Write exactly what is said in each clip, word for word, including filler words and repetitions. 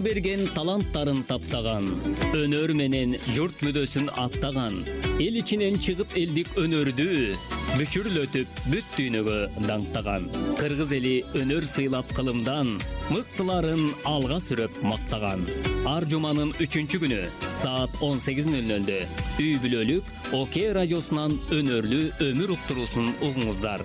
жер берген таланттарын таптаган, өнөр менен журт мүдөсүн аттаган, эл ичинен чыгып элдик өнөрдү бүчүрлөтүп бүт дүйнөгө даңктаган. Кыргыз эли өнөр сыйлап кылымдан, мыктыларын алга сүрөп мактаган. Ар жуманын үчүнчү күнү саат он сегиз нөл нөлдө үй бүлөлүк Оке радиосунан өнөрлүү өмүр уктуруусун угуңуздар.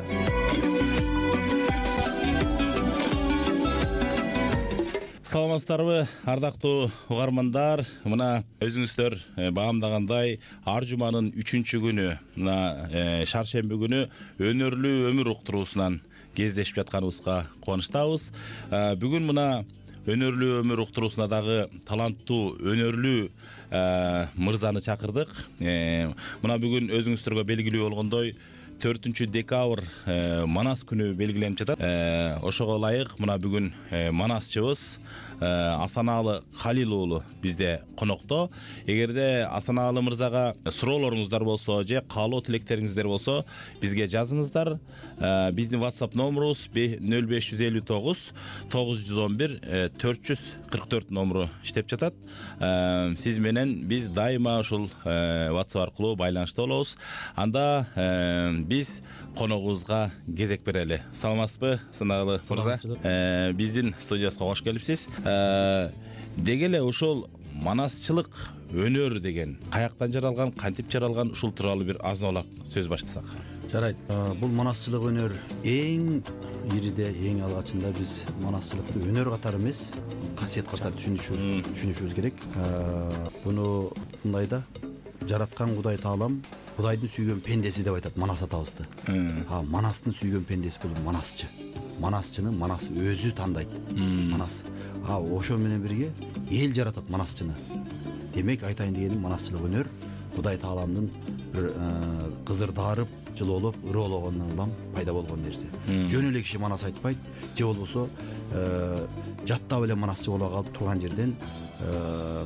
Саламатсыздарбы, ардактуу угармандар. Мына өзүңүздөр баамдагандай ар жуманын үчүнчү күнү, мына шаршемби күнү өнөрлүү өмүр уктуруусунан кездешип жатканыбызга кубанычтабыз. Бүгүн мына өнөрлүү өмүр уктуруусуна дагы таланттуу өнөрлүү мырзаны чакырдык. Мына бүгүн өзүңүздөргө белгилүү болгондой төртүнчү декабрь Манас күнү белгиленип жатат. Ошого ылайык мына бүгүн манасчыбыз Асанаалы Калил уулу бизде конокто. Эгерде Асанаалы мырзага суроолоруңуздар болсо же каалоо тилектериңиздер болсо, бизге жазыңыздар. Биздин WhatsApp номерубуз нөл беш жүз элүү тогуз тогуз жүз он бир төрт жүз кырк төрт номеру иштеп жатат. Сиз менен биз дайыма ушул WhatsApp аркылуу байланышта болобуз. Анда биз коногубузга кезек берели. Саламатсызбы, Асанаалы мырза? Биздин студиябызга кош келипсиз. Деги эле ушул манасчылык өнөр деген каяктан жаралган, кантип жаралган, ушул тууралуу бир азын-аулак сөз баштасак. Жарайт. Бул манасчылык өнөр эң ириде, эң алгачында биз манасчылыкты өнөр катары эмес, касиет катары түшүнүшүбүз түшүнүшүбүз керек. Буну мындай да, жараткан Кудай Таалам Кудайдын сүйгөн пендеси деп айтат Манас атабызды. А Манастын сүйгөн пендеси бул манасчы. Манасчыны Манас өзү тандайт. Манас. А ошо менен бирге эл жаратат манасчыны. Демек айтайын дегеним, манасчылык өнөр Кудай Тааламдын бир кызырдарып, жылоолоп, ыроологонунан улам пайда болгон нерсе. Жөн эле киши манас айтпайт, же болбосо жаттап эле манасчы боло калып турган жерден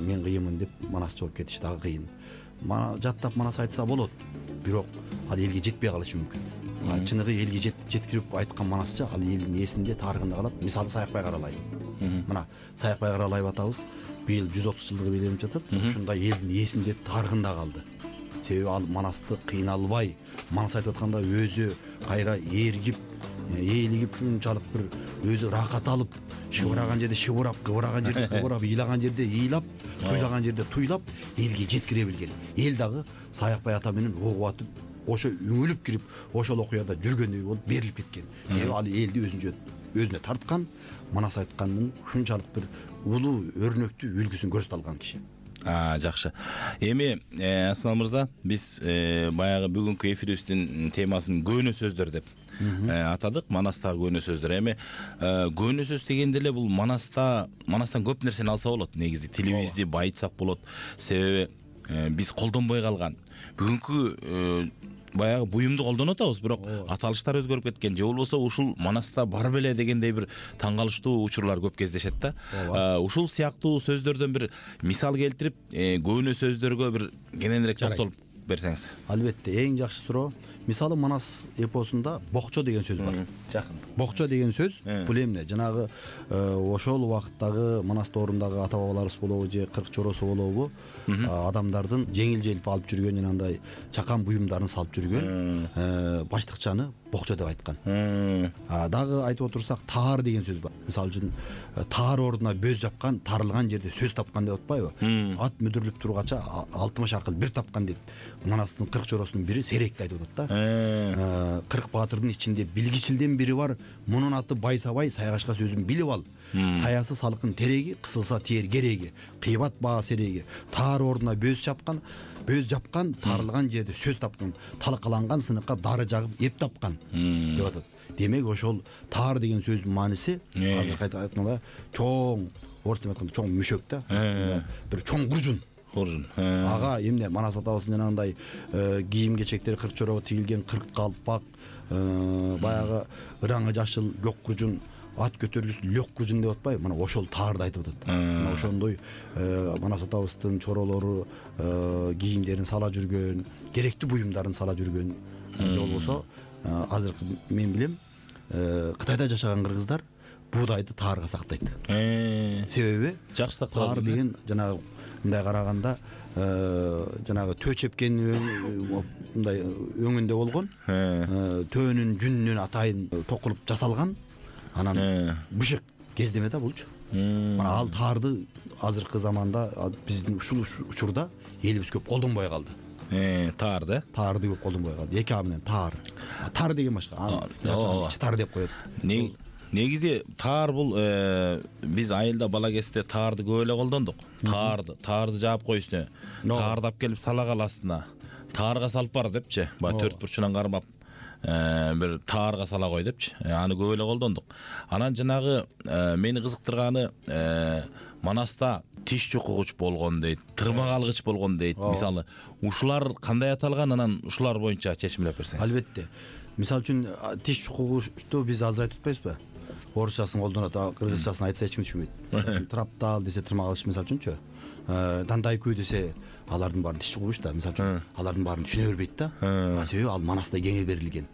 мен кыйынмын деп манасчы болуп кетиш дагы кыйын. Жаттап манас айтса болот, бирок ал элге жетпей калышы мүмкүн. Чыныгы элге жеткирип айткан манасчы ал элдин эсинде, тарыхында калат. Мисалы Саякбай Каралай. Мына Саякбай Каралай атабыз быйыл жүз отуз жылдыгы белгиленип жатат. Ушундай элдин эсинде, тарыхында калды. Себеби ал манасты кыйналбай, манас айтып атканда өзү кайра ээргип, ээлигип, ушунчалык бир өзү рахат алып, шыбыраган жерде шыбырап, кыбыраган жерде кыбырап, ыйлаган жерде ыйлап, туйлаган жерде туйлап элге жеткире билген. Эл дагы Саякбай ата менен угуп атып, ошо үңүлүп кирип, ошол окуяда жүргөндөй болуп берилип кеткен. Себеби ал элди өзүнчө өзүнө тарткан, манас айткандын ушунчалык бир улуу өрнөктүү үлгүсүн көрсөтө алган киши. А, жакшы. Эми Асанаалы мырза, биз баягы бүгүнкү эфирибиздин темасын көөнө сөздөр деп атадык. Манастагы көөнө сөздөр. Эми көөнө сөз дегенде эле бул манаста, манастан көп нерсени алса болот. Негизи тилибизди байытсак болот. Себеби биз колдонбой калган. Бүгүнкү баягы буюмду колдонуп атабыз, бирок аталыштар өзгөрүп кеткен. Же болбосо ушул манаста бар беле дегендей бир таң калыштуу учурлар көп кездешет да. Ушул сыяктуу сөздөрдөн бир мисал келтирип, көөнө сөздөргө бир кененирээк токтолуп берсеңиз. Албетте, эң жакшы суроо. Мисалы Манас эпосунда бокчо деген сөз бар. Жакын. Бокчо деген сөз бул эмне? Жанагы ошол убакыттагы Манаста орундагы ата бабаларыбыз болобу же кырк чоросу болобу, адамдардын жеңил желп алып жүргөн жанагындай чакан буюмдарын салып жүргөн баштыкчаны бокчо деп айткан. Дагы айтып отурсак, таар деген сөз бар. Мисалы үчүн таар ордуна бөз жапкан, тарылган жерде сөз тапкан деп атпайбы? Ат мүдүрлүп тургача алтымыш акыл бир тапкан деп Манастын кырк чоросунун бири Серекти айтып атат да. Кырк баатырдын ичинде билгичилден бири бар, мунун аты Байсабай, Сайгашка сөзүн билип ал. Саясы салкын тереги, кысылса тиер кереги, кыйбат баа сереги. Таар ордуна бөз жапкан, бөз жапкан, тарылган жерде сөз тапкан, талкаланган сыныкка дары жагып эп тапкан деп атат. Демек ошол таар деген сөздүн мааниси азыр айтканда чоң, орусча айтканда чоң мүшөк да, бир чоң куржун. Куржун. Ага эмне Манас атабыздын жанагындай кийим кечектери кырк чорого тигилген, кырк калпак, баягы ыраңы жашыл көк куржун, ат көтөргүс лөк куржун деп атпайбы? Мына ошол таарды айтып атат. Мына ошондой Манас атабыздын чоролору кийимдерин сала жүргөн, керектүү буюмдарын сала жүргөн. Же болбосо азыр мен билем, Кытайда жашаган кыргыздар буудайды таарга сактайт. Э, Себеби жакшы сакталат. таар деген жанагы мындай караганда жанагы төө чепкен мындай өңүндө болгон, төөнүн жүнүнөн атайын токулуп жасалган, анан бышык кездеме да булчу. Мына ал таарды азыркы заманда биздин ушул учурда элибиз көп колдонбой калды. Э, таар да? Таарды көп колдонбой калды. Эки а менен таар. Таар деген башка. Ичи таар деп коет. Негизи таар бул биз айылда бала кезде таарды көп эле колдондук. Таарды, таарды жаап кой үстүнө. Таарды алып келип сала кал астына. Таарга салып бар депчи. Баягы төрт бурчунан кармап бир таарга сала кой депчи. Аны көп эле колдондук. Анан жанагы мени кызыктырганы Манаста тиш чукугуч болгон дейт, тырмак алгыч болгон дейт. Мисалы, ушулар кандай аталган, анан ушулар боюнча чечимдеп берсеңиз. Албетте. Мисалы үчүн тиш чукугучту биз азыр айтып атпайбызбы? Орусчасын колдонот, кыргызчасын айтса эч ким түшүнбөйт. Траптал десе тырмак алгыч мисалы үчүнчү. Дандайкү десе алардын баарын тиш чукугуч да, мисалы үчүн алардын баарын түшүнө бербейт да. Себеби ал Манаста кеңе берилген.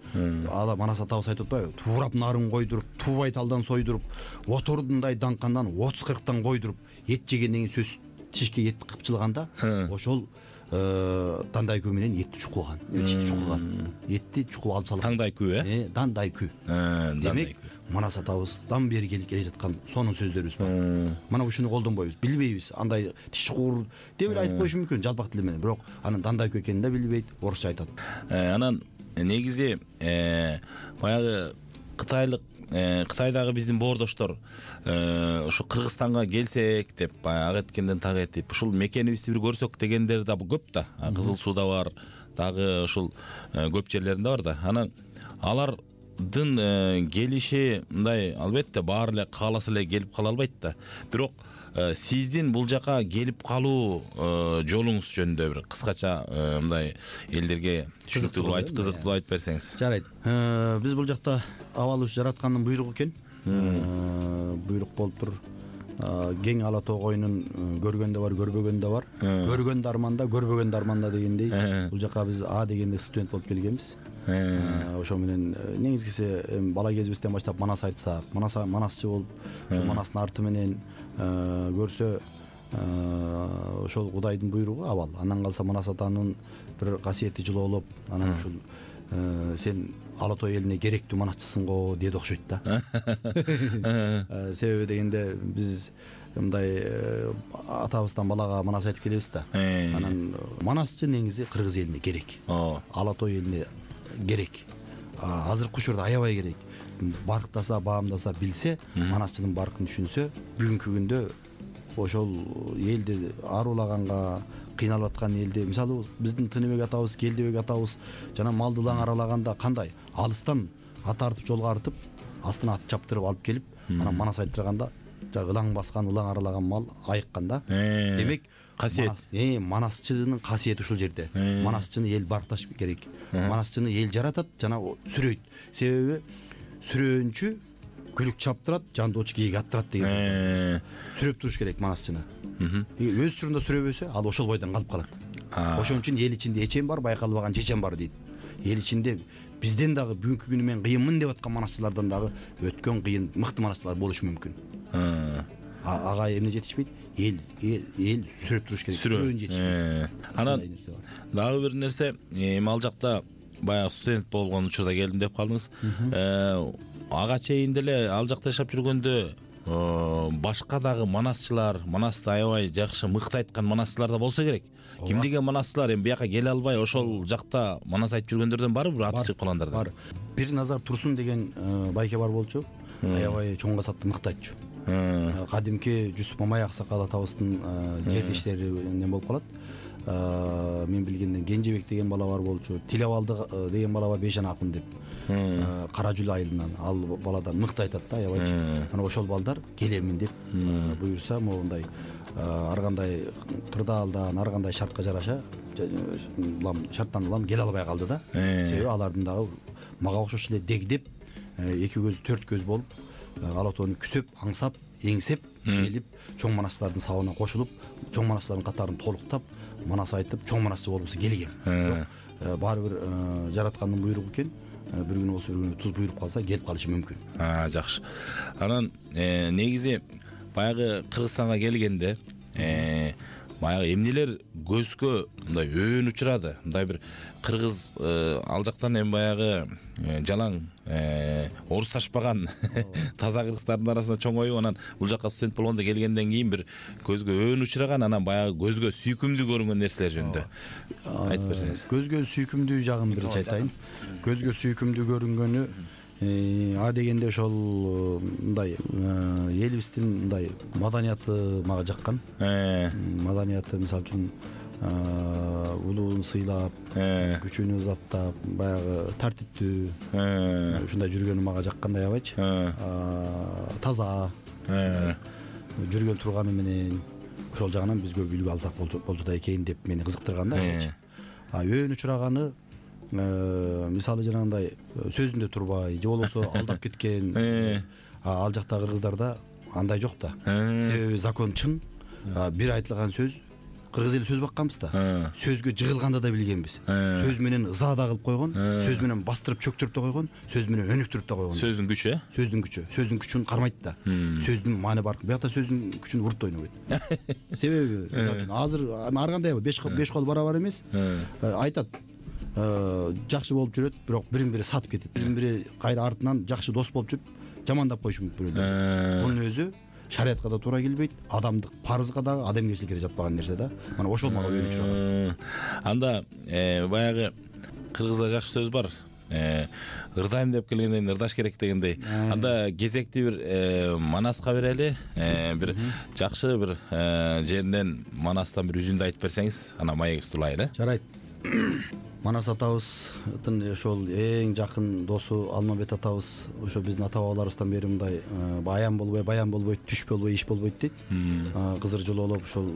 Ала Манас атабыз айтып атпайбы? Туурап нарын койдуруп, туубай талдан сойдуруп, отордундай даңкандан отуз кырктан койдуруп, эт жегенден кийин сөз тишке эт кыпчылганда, ошол дандайкү менен этти чукуган, тишти чукуган. Этти чукуп алып салган. Таңдайкү, э? Дандайкү. Демек, Манас атабыздан бери келе жаткан сонун сөздөрүбүз бар. Мына ушуну колдонбойбуз, билбейбиз. Андай тиш чукур деп эле айтып коюшу мүмкүн жалпак тил менен, бирок анын дандайкү экенин да билбейт, орусча айтат. Анан негизи баягы кытайлык Кытайдагы биздин боордоштор ошо Кыргызстанга келсек деп баягы ак эткенден так этип ушул мекенибизди бир көрсөк дегендер да көп да. Кызыл Сууда бар, дагы ушул көп жерлеринде бар да. Анан алардын келиши мындай албетте баары эле кааласа эле келип кала албайт да. Бирок сиздин бул жака келип калуу жолуңуз жөнүндө бир кыскача мындай элдерге түшүнүктүү кылып айтып, кызыктуу айтып берсеңиз. Жарайт. Биз бул жакта абалы жараткандын буйругу экен. Буйрук болуп тур. Кең ала тоо коюнун көргөн да бар, көрбөгөн да бар. Көргөн да арманда, көрбөгөн да арманда дегендей, бул жака биз А дегенде студент болуп келгенбиз. Ошо менен негизгиси бала кезибизден баштап Манас айтсак, Манас Манасчы болуп, ошо Манастын арты менен көрсө ошол Кудайдын буйругу абал. Андан калса Манас атанын бир касиети жылоолоп, анан ушул сен ала тоо элине керектүү манасчысың го деди окшойт да. Себеби дегенде биз мындай атабыздан балага Манас айтып келебиз да. Анан манасчы негизи кыргыз элине керек. Ала тоо элине керек. Азыркы учурда аябай керек. Барктаса, баамдаса, билсе, манасчынын баркын түшүнсө, бүгүнкү күндө ошол элди аруулаганга, кыйналып аткан элди, мисалы биздин Тыныбек атабыз, Келдебек атабыз жана малды лаң аралаганда кандай алыстан ат артып жолго артып, астына ат чаптырып алып келип, анан Манас айттырганда ылаң баскан, ылаң аралаган мал айыкканда. Демек, касиет. Э, манасчынын касиети ушул жерде. Манасчыны эл баркташ керек. Манасчыны эл жаратат жана сүрөйт. Себеби сүрөөнчү күлүк чаптырат, жандоочу кийик аттырат деген сөз. Сүрөп туруш керек манасчыны. Өз учурунда сүрөбөсө, ал ошол бойдон калып калат. Ошон үчүн эл ичинде эчем бар, байкалбаган чечем бар дейт. Эл ичинде бизден дагы бүгүнкү күнү мен кыйынмын деп аткан манасчылардан дагы өткөн кыйын мыкты манасчылар болушу мүмкүн. Ага эмне жетишпейт? Эл эл сүрөп туруш керек. Сүрөөн жетишпейт. Анан дагы бир нерсе, эми ал жакта баягы студент болгон учурда келдим деп калдыңыз. Ага чейин деле ал жакта жашап жүргөндө башка дагы манасчылар, Манасты аябай жакшы мыкты айткан манасчылар да болсо керек. Ким деген манасчылар эми бияка келе албай ошол жакта Манас айтып жүргөндөрдөн барбы, бир аты чыгып калгандар бар. Бир Назар Турсун деген байке бар болчу. Аябай чоң касатты мыкты айтчу. Кадимки Жусуп Мамай аксакал атабыздын жерлештеринен болуп калат. Мен билгенден Кенжебек деген бала бар болчу. Тилебалды деген бала бар, Бейшан акын деп. Кара Жүл айылынан ал баладан мыкты айтат да, аябайчы. Ана ошол балдар келемин деп буйрса, моундай ар кандай кырдаалдан, ар кандай шартка жараша шарттан улам келе албай калды да. Себеби алардын дагы мага окшош эле дегдеп, эки көз, төрт көз болуп, ала тоону күсөп, аңсап, эңсеп келип, чоң манастардын сабына кошулуп, чоң манастардын катарын толуктап, Манас айтып, чоң манасчы болуусу келген. Бирок баары бир жараткандын буйругу экен. бир күн болсо бир күн туз буйруп калса кетип калышы мүмкүн. А, жакшы. Анан негизи баягы Кыргызстанга келгенде баягы эмнелер көзгө мындай өөн учурады? Мындай бир кыргыз ал жактан эми баягы жалаң орусташпаган таза кыргыздардын арасында чоңоюп, анан бул жакка студент болгондо келгенден кийин бир көзгө өөн учураган, анан баягы көзгө сүйкүмдүү көрүнгөн нерселер жөнүндө айтып берсеңиз. Көзгө сүйкүмдүү жагын биринчи айтайын. Көзгө сүйкүмдүү көрүнгөнү а дегенде ошол мындай элибиздин мындай маданияты мага жаккан. Маданияты мисалы үчүн улуун сыйлап, күчүнү ызаттап, баягы тартиптүү ушундай жүргөнү мага жаккандай аябайчы. Таза жүргөн турганы менен ошол жагынан биз көп үлгү алсак болчу да экен деп мени кызыктырган да аябайчы. А өөн учураганы мисалы жанагындай сөзүндө турбай же болбосо алдап кеткен, ал жакта кыргыздарда андай жок да. Себеби закон чын. Бир айтылган сөз, кыргыз эли сөз бакканбыз да. Сөзгө жыгылганда да билгенбиз. Сөз менен ыза да кылып койгон, сөз менен бастырып чөктүрүп да койгон, сөз менен өнүктүрүп да койгон. Сөздүн күчү, э? Сөздүн күчү. Сөздүн күчүн кармайт да. Сөздүн маани бар. Биякта сөздүн күчүн урут ойнобойт. Себеби мисалы үчүн азыр ар кандай беш кол барабар эмес. Айтат, жакшы болуп жүрөт, бирок бири-бири сатып кетет. Бири-бири кайра артынан жакшы дос болуп жүрүп, жамандап коюшу мүмкүн бирөөлөр. Бунун өзү шариятка да туура келбейт, адамдык парызга дагы, адамгерчиликке да жатпаган нерсе да. Мана ошол мага өөнү учураган. Анда баягы кыргызда жакшы сөз бар. Ырдайм деп келгенден ырдаш керек дегендей. Анда кезекти бир Манаска берели, бир жакшы бир жеринен Манастан бир үзүндү айтып берсеңиз, анан маегибизди улайын, э? Жарайт. Манас атабыздын ошол эң жакын досу Алмамбет атабыз ошо биздин ата бабаларыбыздан бери мындай аян болбой, баян болбойт, түш болбой, иш болбойт дейт. Кызыр жылоолоп ошол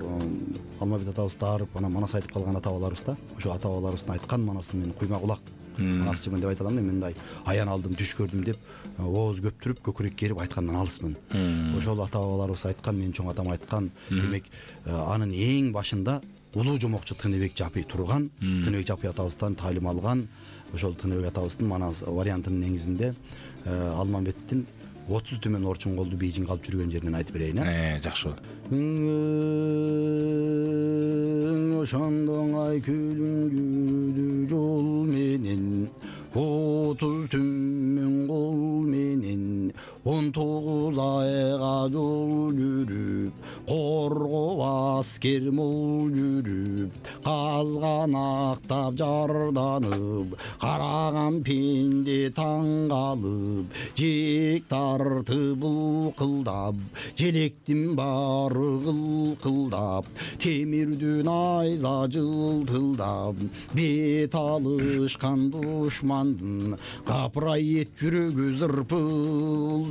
Алмамбет атабыз дарып, анан Манас айтып калган ата бабаларыбыз да. Ошо ата бабаларыбыздын айткан Манастын мен куйма кулак. Манасчымын деп айта аламын, мен мындай аян алдым, түш көрдүм деп ооз көптүрүп, көкүрөк керип айткандан алысмын. Ошол ата бабаларыбыз айткан, менин чоң атам айткан. Демек, анын эң башында улуу жомокчу Тыныбек Жапый турган, Тыныбек Жапый атабыздан таалим алган. Ошол Тыныбек атабыздын Манас вариантынын негизинде Алмамбеттин отуз төмөн орчун колду бейжиңге алып жүргөн жеринен айтып берейин, э? Жакшы. Ошондоңай күлүңдүү жол менен, отуз төмөн кол менен, он тогуз айга жол жүрүп, коргоп аскер мол жүрүп, казганактап жарданып, караган пенде таң калып, жек тартып былкылдап, желектин баары кылкылдап, темирдүн айза жылтылдап, бет алышкан душмандын капырай эт жүрөгү зырпылдап.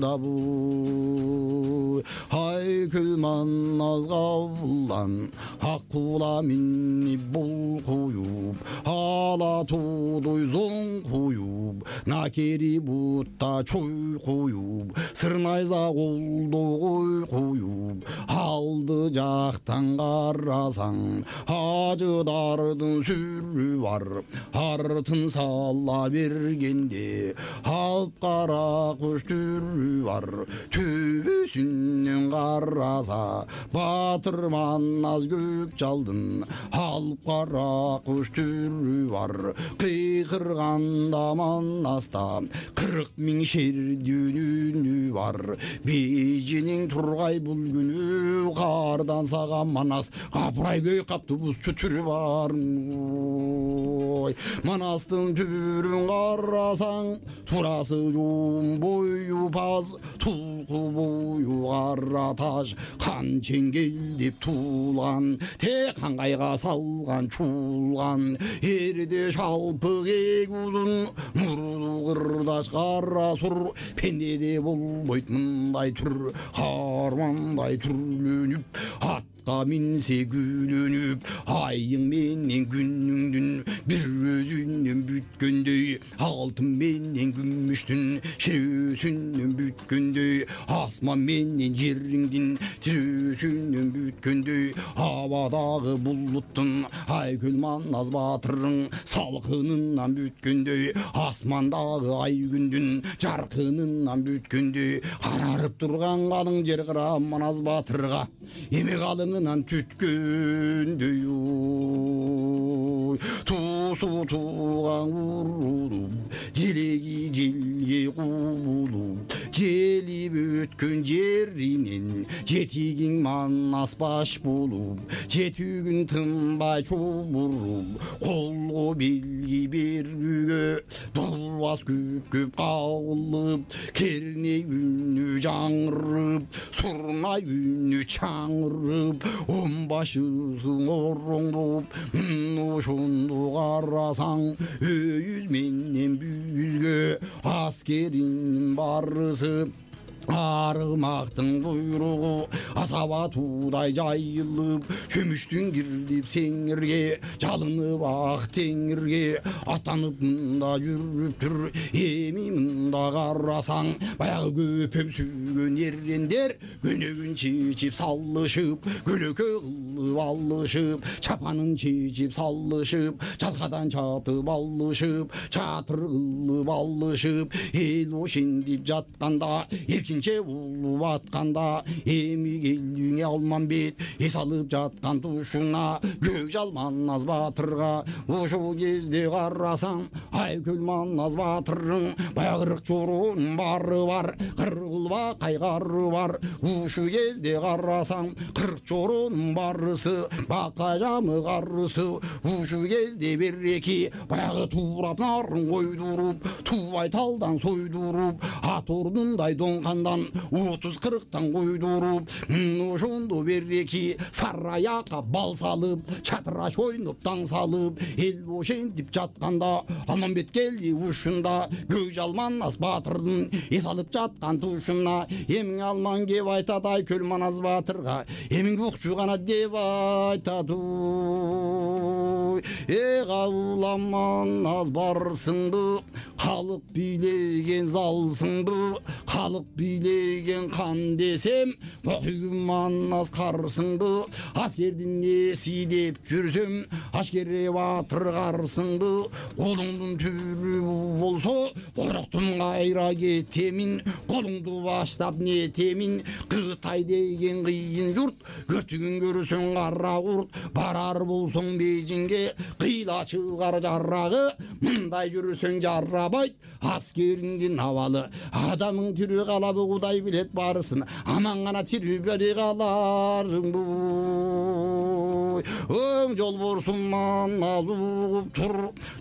Ай Манас кабылдан ак кула минип бол куюп, ала тоодой зоң куюп, накери бутта чой куюп, сырнайза колдо кой куюп, алды жактан карасаң ажыдардын сүрү бар, артын сала бергенде алып кара куш түрү бар, төбөсүнөн караса батыр Манас көк жалдын, алып кара куш түрү бар, кыйкырганда Манаста кырк миң шердин үнү бар, бейжинин тургай бул күнү кардан саган Манас капырай көй каптыбузчу түрү бар. Манастын түбүрүн карасаң турасы жуум, бою паз, тулку бою кара таш, кан чеңгелдеп туулган, тек каңгайга салган чуулган, эрде шалпык эк узун, мурду кырдаш кара сур, пендеде болбойт мындай түр, кармандай түрлөнүп ат атка минсе күлөнүп айың менен күнүңдүн бир өзүнөн бүткөндөй алтын менен күмүштүн ширөөсүнөн бүткөндөй асман менен жериңдин тирөөсүнөн бүткөндөй абадагы булуттун айкөл манас батырың салкынынан бүткөндөй асмандагы ай күндүн жаркынынан бүткөндөй карарып турган калың жер кыра манас батырга эме калыңынан түткөндөй туусу тууган урулуп желеги желге куулуп желип өткөн жеринен жетигиң манас баш болуп жетүүгүн тынбай чубуруп колго белги бергүгө долбас көп көп кагылып керней үнү жаңырып сурнай үнү чаңырып он башысың ороңдоп ошондо карасаң өйүз менен бүзгө аскеринин барысы арымактын буйругу асаба туудай жайылып чөмүштүн кирип сеңирге жалынып ак теңирге аттанып мында жүрүптүр эми мында карасаң баягы көпөм сүйгөн эрендер көнөгүн чечип салышып көлөкө кылып алышып чапанын чечип салышып жалкадан чатып алышып чатыр кылып алышып эл ошентип жатканда эркин улуп атканда эми келүүңө Алмамбет эс алып жаткан тушуна Көкжал манас батырга ошол кезде карасаң айкөл манас батырың баягырык чорунун бары бар кыргылба кайгары бар ушу кезде карасаң кырк чорунун барысы бака жамы карысы ушу кезде береки баягы туурап нарын койдуруп туубай талдан сойдуруп ат ордундай доңкандан отуз кырктан койдуруп ошондо береки сары аякка бал салып чатыраш ойноп таң салып эл ошентип жатканда Алмамбет келди ушунда Көкжал манас батырдын эс алып жаткан тушуна эмиң алман кеп айтат айкөл манас батырга эмиң укчу гана деп айтат э кабылам манас барсыңды калык бийлеген залсыңды калык бийлеген кан десем окуйгүн манас карсыңды аскердин эси деп жүрсөм ашкере батыр карсыңды колуңдун түрү болсо короктум кайра кетемин колуңду баштап нетемин Кытай деген кыйын журт көртүгүн көрсөң кара курт барар болсоң Бейжиңге кыйла чыгар жарагы мындай жүрсөң жарабайт аскериңдин абалы адамың тирүү калабы Кудай билет барысын аман гана тирүү бере каларыңбы өң жол борсун манас угуп тур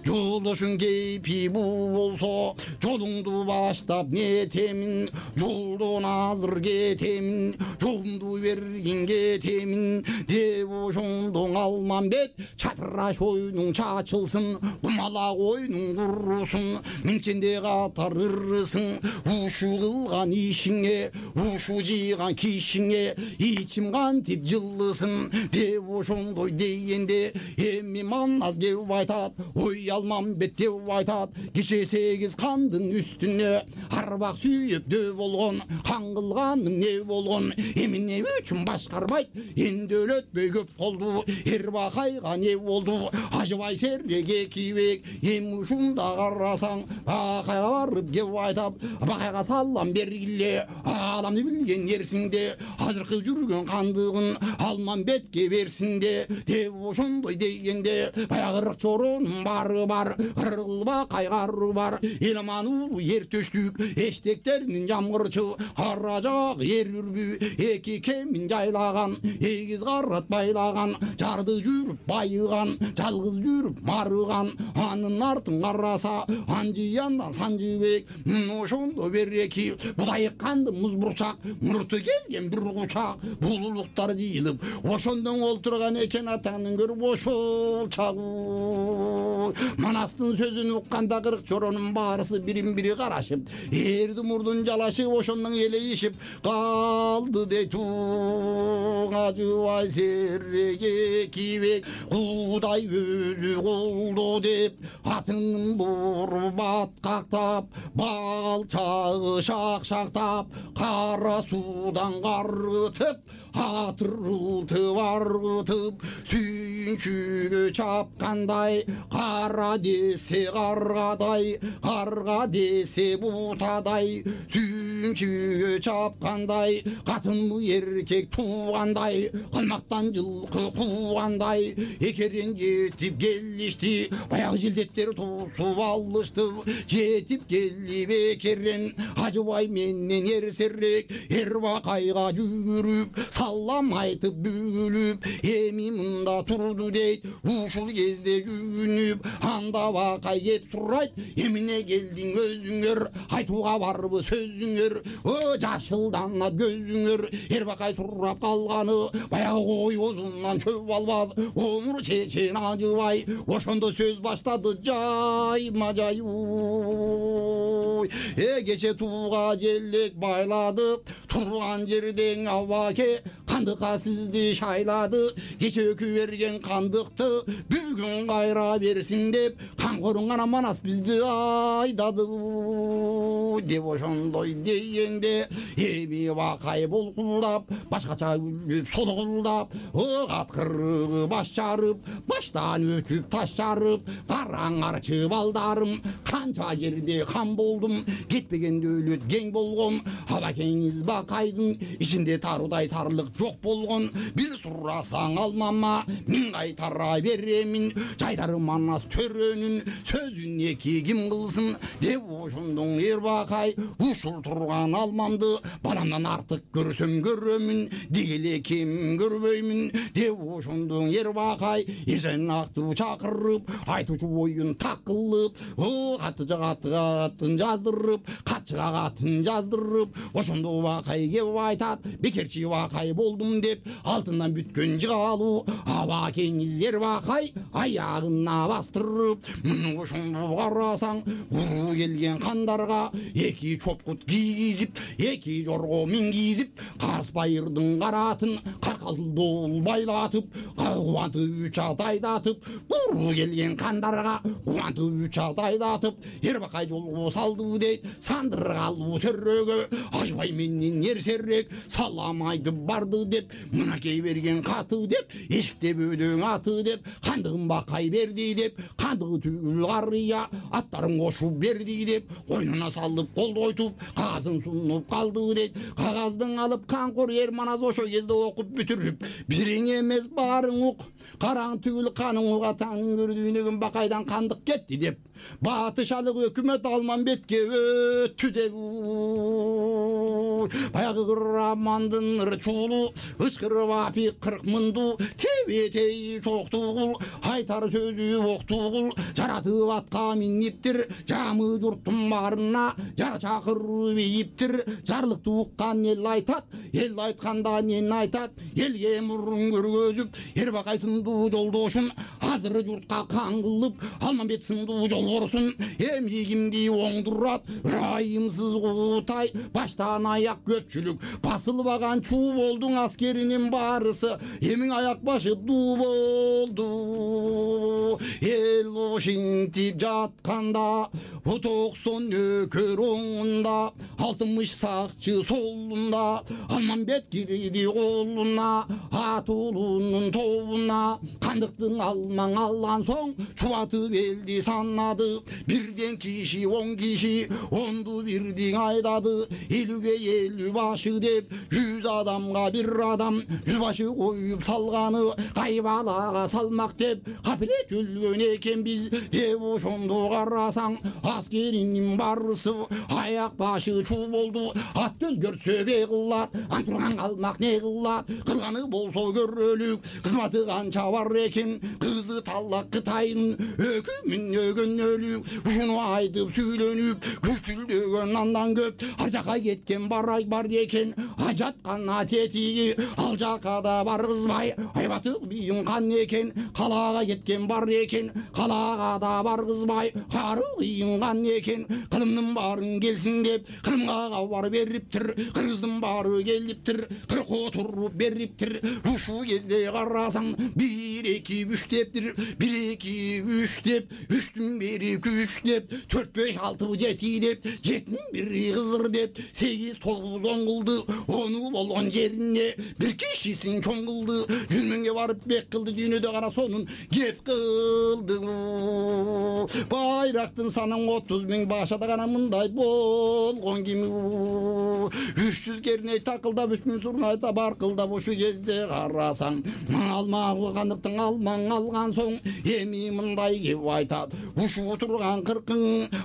жолдошуң кейпи бул болсо жолуңду баштап нетемин жолдон азыр кетемин жолумду бергин кетемин деп ошондо Алмамбет чатыраш ойнуң чачылсын кумалак ойнуң курусун миңченде катар ырысың ушу кылган ишиңе ушу жыйган кишиңе ичим кантип жылысын деп ошондой дегенде эми манас кеп айтат ой Алмамбет деп айтат киче сегиз кандын үстүнө арбак сүйүп дөө болгон кан кылганың не болгон эмне үчүн башкарбайт энди өлөтпөй көп болду эрбакайга не болду ажыбай серек экибек эми ушунда карасаң бакайга барып кеп айтап бакайга салам бергиле ааламды билген эрсиңде азыркы жүргөн кандыгын Алмамбетке берсинде деп ошондой дегенде баягырык чорунун бары бар кыргылба кайгары бар эл аман улуу ер төштүк эштектеринин жамгырчы кара жак ер үрбү эки кемин жайлаган эгиз карат байлаган жарды жүрүп байыган жалгыз жүрүп марыган анын артын караса ан Жыяндан Санжыбек ошондо береки будай канды муз бурчак мурту келген бир кучак булулуктар жыйылып ошондон олтурган экен атаңдын көрүп ошол чагы Манастын сөзүн укканда кырк чоронун баарысы бирин бири карашып эрди мурдун жалашып ошондон элейишип калды дейт ажыбай сереге кибек Кудай өзү колдо деп атын буруп аткактап балчагы шакшактап кара суудан каргытып атырылтып аргытып сүйүнчүгө чапкандай кара десе каргадай карга десе бутадай сүйүнчүгө чапкандай катынбы эркек туугандай калмактан жылкы куугандай экерен жетип келишти баягы жилдеттер туусуп алышты жетип келип экерен ажыбай менен эрсерек эрбакайга жүгүрүп салам айтып бүгүлүп эми мында турду дейт ушул кезде жүгүнүп анда бакай кеп сурайт эмне келдиң өзүңөр айтууга барбы сөзүңөр о жашылданат көзүңөр эрбакай сурап калганы баягы кой козунан чөп албас омур чечен ажыбай ошондо сөз баштады жайма жайуй э кече тууга желек байлады турган жерден абаке кандыкка сизди шайлады кече өкү берген кандыкты бүгүн кайра берсин деп камкоруң гана Манас бизди айдады деп ошондой дегенде эми бакай булкулдап башкача күлүп солгулдап каткырыгы баш жарып баштан өтүп таш жарып караңарчы балдарым канча жерде кам болдум кетпегенде өлөт кең болгон абакеңиз бакайдын ичинде тарудай тарлык жок болгон бир сурасаң алмама мен кайтара беремин жайдары Манас төрөнүн сөзүн эки ким кылсын деп ошондон эрбакай ушул турган алмамды баламдан артык көрсөм көрөмүн дегеле ким көрбөймүн деп ошондон эрбакай эженакты чакырып айтуучу оюн так кылып катыга катын жаздырып катчыга катын жаздырып ошондо бакай кеп айтат бекерчи бакай болдум деп алтындан бүткөн жыгалуу абакеңиз эрбакай аягына бастырып ошондо карасаң уруу келген кандарга эки чопкут кийгизип эки жорго мингизип кас байырдын караатын каркалдоо байлатып кубантып үч ат айдатып уруу келген кандарга кубантып үч ат айдатып эрбакай жолго салды дейт сандыргалуу төрөгө ажыбай менен эрсерек салам айтып барды деп мынакей берген каты деп эшикте бөөдөң аты деп кандыгын бакай берди деп кандыгы түгүл карыя аттарын кошуп берди деп койнуна салып колдойтуп кагазын сунуп калды дейт кагаздын алып камкор эр Манас ошол кезде окуп бүтүрүп бириң эмес баарың ук караң түгүл каның ук атаңдын көрдүйнөгүн бакайдан кандык кетти деп батышалык өкмөт Алмамбетке өттү деп баягы Курамандын ырчуулу ычкырып апи кырк мынду тебетей чоктугул айтар сөзү октугул жаратып атка миниптир жамы журттун баарына жар чакырып ийиптир жарлыкты уккан эл айтат эл айтканда мен айтат элге мурун көргөзүп эрбакай сындуу жолдошун азыр журтка кан кылып Алмамбет сындуу жолборсун эми кимди оңдурат ырайымсыз куутай баштан аяк көпчүлүк басылбаган Чуболдун аскеринин баарысы эми аяк башы дуу болду эл ошинтип жатканда токсон нөкөр оңунда алтымыш сакчы солунда Алмамбет кирди колуна атуулунун тобуна кандыктын алмаң алган соң чубатып элди санады бирден киши он киши онду бирдиң айдады элүүгө элүү башы деп жүз адамга бир адам жүз башы коюп салганы кайбалага салмак деп капилет өлгөн экенбиз деп ошондо карасаң аскеринин барысы аяк башы чуу болду ат өзгөртсө бе кылат антурган калмак не кылат кылганы болсо көрөлүк кызматы канча бар экен кызы талак Кытайдын өкүмүн өлүк ушуну айтып сүйлөнүп күпүлдөгөн андан көп ар жака кеткен барай бар экен ажаткан тетиги ал жака да баргызбай айбаты бийим кан экен калаага кеткен бар экен калаага да баргызбай кары кыйынган экен кылымдын баарын келсин деп кылымга кабар бериптир кыргыздын баары келиптир кыркоо туруп бериптир ушул кезде карасаң бир эки үч дептир бир эки үч деп үчтүн бири күч деп төрт беш алты жети деп жетинин бири кызыр деп сегиз тогуз он кылды ону болгон жерине бир кишисин чоң кылды жүз миңге барып бек кылды дүйнөдө гана сонун кеп кылды байрактын санын отуз миң башада гана мындай болгон ким үч жүз керней такылдап үч миң сурнайта баркылдап ушул кезде карасаң алмагы кандыктың алмаң алган соң эми мындай кеп айтат ушул турган кыркың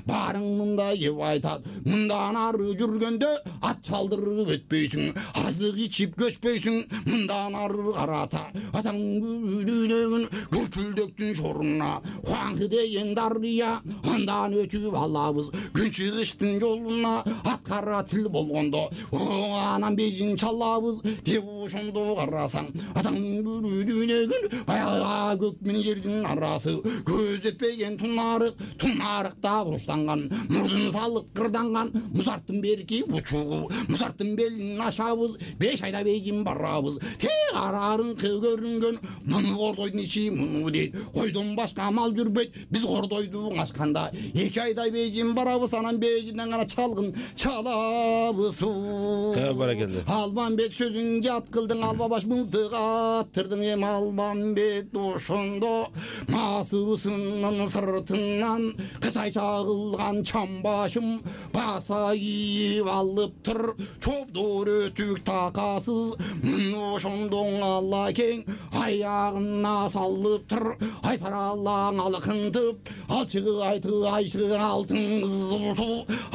баарың мындай кеп айтат мындан ары жүргөндө ат чалдырып өтпөйсүң азык ичип көчпөйсүң мындан ары карата атаң дүйнөгүн күрпүлдөктүн шоруна хуаңкы деген дарыя андан өтүп алабыз күн чыгыштын жолуна ат кара тил болгондо анан бежин чалабыз деп ошондо карасаң атаң дүйнөгүн баягы көк менен жердин арасы көз өтпөгөн тунарык тунарыкта буруштанган мурдун салып кырданган музарттын берки учугу музарттын белин ашабыз беш айда бейжин барабыз тек арарыңкы көрүнгөн муну кордойдун ичи муну дейт койдон башка мал жүрбөйт биз кордойду ачканда эки айда бейжин барабыз анан бейжинден гана чалгын чалабыз баракелде Алмамбет сөзүн жат кылдың алба баш мылтык аттырдың эми Алмамбет ошондо масыбысынын сыртынан кытайча кылган чамбашым баса кийип алыптыр чобдор өтүк такасыз ошондо алла кең аягына салыптыр ай саралаң алкынтып алчыгы айты айчы алтын кызылту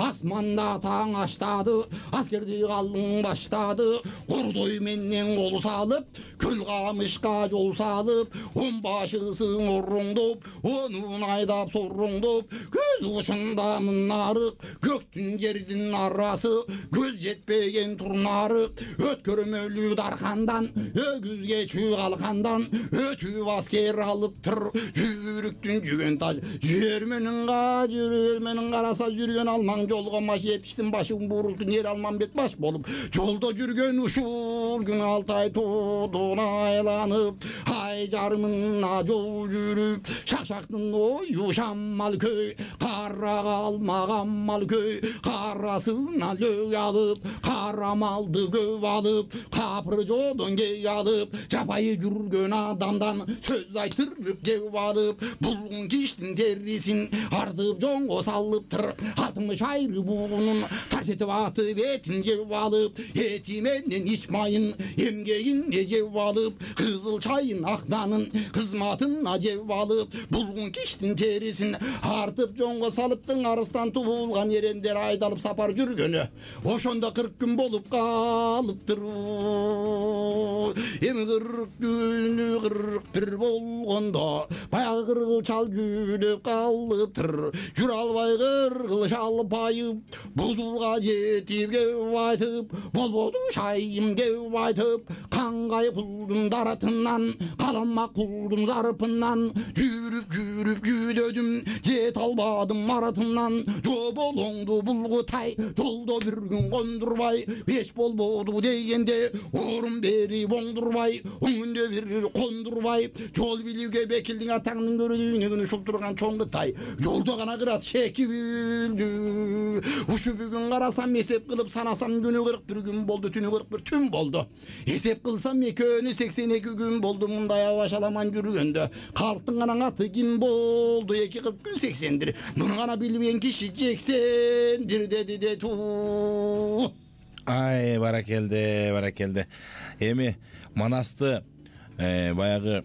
асманда таң аштады аскерди калың баштады кордой менен кол салып көл камышка жол салып он башысын ороңдоп онун айдап сороңдоп көз ушунда мынарык көктүн жердин арасы көз жетпеген турнарык өткөрмөлүү даркандан өгүзгө чүй калкандан өтүп аскер алыптыр жүрүктүн жүгөн таш жүрмөнүн жүрмөнүн караса жүргөн алмаң жолго маш жетиштин башын бурултун ер Алмамбет баш болуп жолдо жүргөн ушул күн алты ай тоодон айланып ай жарымына жол жүрүп шакшактын ою шамал көй кара калмаган мал көй карасына лөг алып кара малды көп алып капыр жолдон кей алып жапайы жүргөн адамдан сөз айтырып кеп алып булгун киштин терисин артып жоңго салыптыр алтымыш айры буунун тарс этип аты бетин жеп алып эти менен ич майын эмгегине жеп алып кызыл чайын акнанын кызматына жеп алып булгун киштин терисин артып жоңго салыптың арыстан туулган эрендер айдалып сапар жүргөнү ошондо кырк күн болуп калыптыр эми кырк күнү кырк бир болгондо баягы кыргыл чал жүдөп калыптыр жүрө албай кыргыл чал байып бузулга жетип кеп айтып болбоду шайым кеп айтып кангай кулдун даратынан каламак кулдун зарпынан жүрүп жүрүп жүдөдүм жете албадым маратымнан жоболоңду булгутай жолдо бир күн кондурбай эч болбоду дегенде орун берип оңдурбай өңүндө бир кондурбай жол билүүгө бекилдиң атаңдын көрүнүгүн ушул турган чоң Кытай жолдо гана кырат шекилдүү ушу бүгүн карасам эсеп кылып санасам күнү кырк бир күн болду түнү кырк бир түн болду эсеп кылсам экөөнү сексен эки күн болду мындай абашаламан жүргөндө калктын гана аты ким болду эки кырк күн сексендир муну гана билбеген киши жексендир деди де ту Ай, баракелде, баракелде. Эми манасты баягы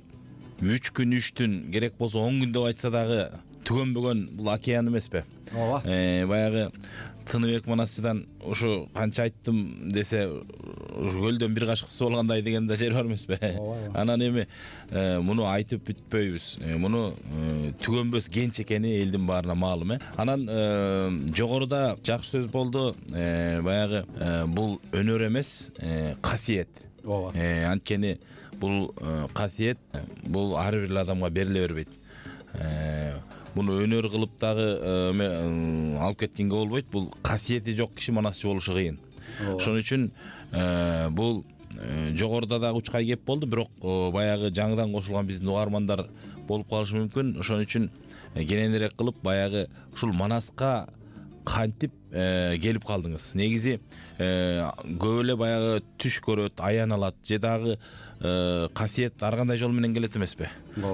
үч күн үч түн керек болсо он күн деп айтса дагы түгөнбөгөн бул океан эмеспи? ооба. Баягы Тыныбек Манасчыдан ушу канча айттым десе көлдөн бир кашык суу алгандай деген да жер бар эмеспи? Анан эми муну айтып бүтпөйбүз. Муну түгөнбөс кенч экени элдин баарына маалым э. Анан жогоруда жакшы сөз болду. Баягы бул өнөр эмес, касиет. Ооба. Анткени бул касиет бул ар бир адамга бериле бербейт. Муну өнөр кылып дагы алып кеткенге болбойт. Бул касиети жок киши манасчы болушу кыйын. Ошон үчүн бул жогоруда дагы учкай кеп болду, бирок баягы жаңыдан кошулган биздин угармандар болуп калышы мүмкүн. Ошон үчүн кененирээк кылып баягы ушул Манаска кантип келип калдыңыз? Негизи көп эле баягы түш көрөт, аян алат же дагы касиет ар кандай жол менен келет эмеспи?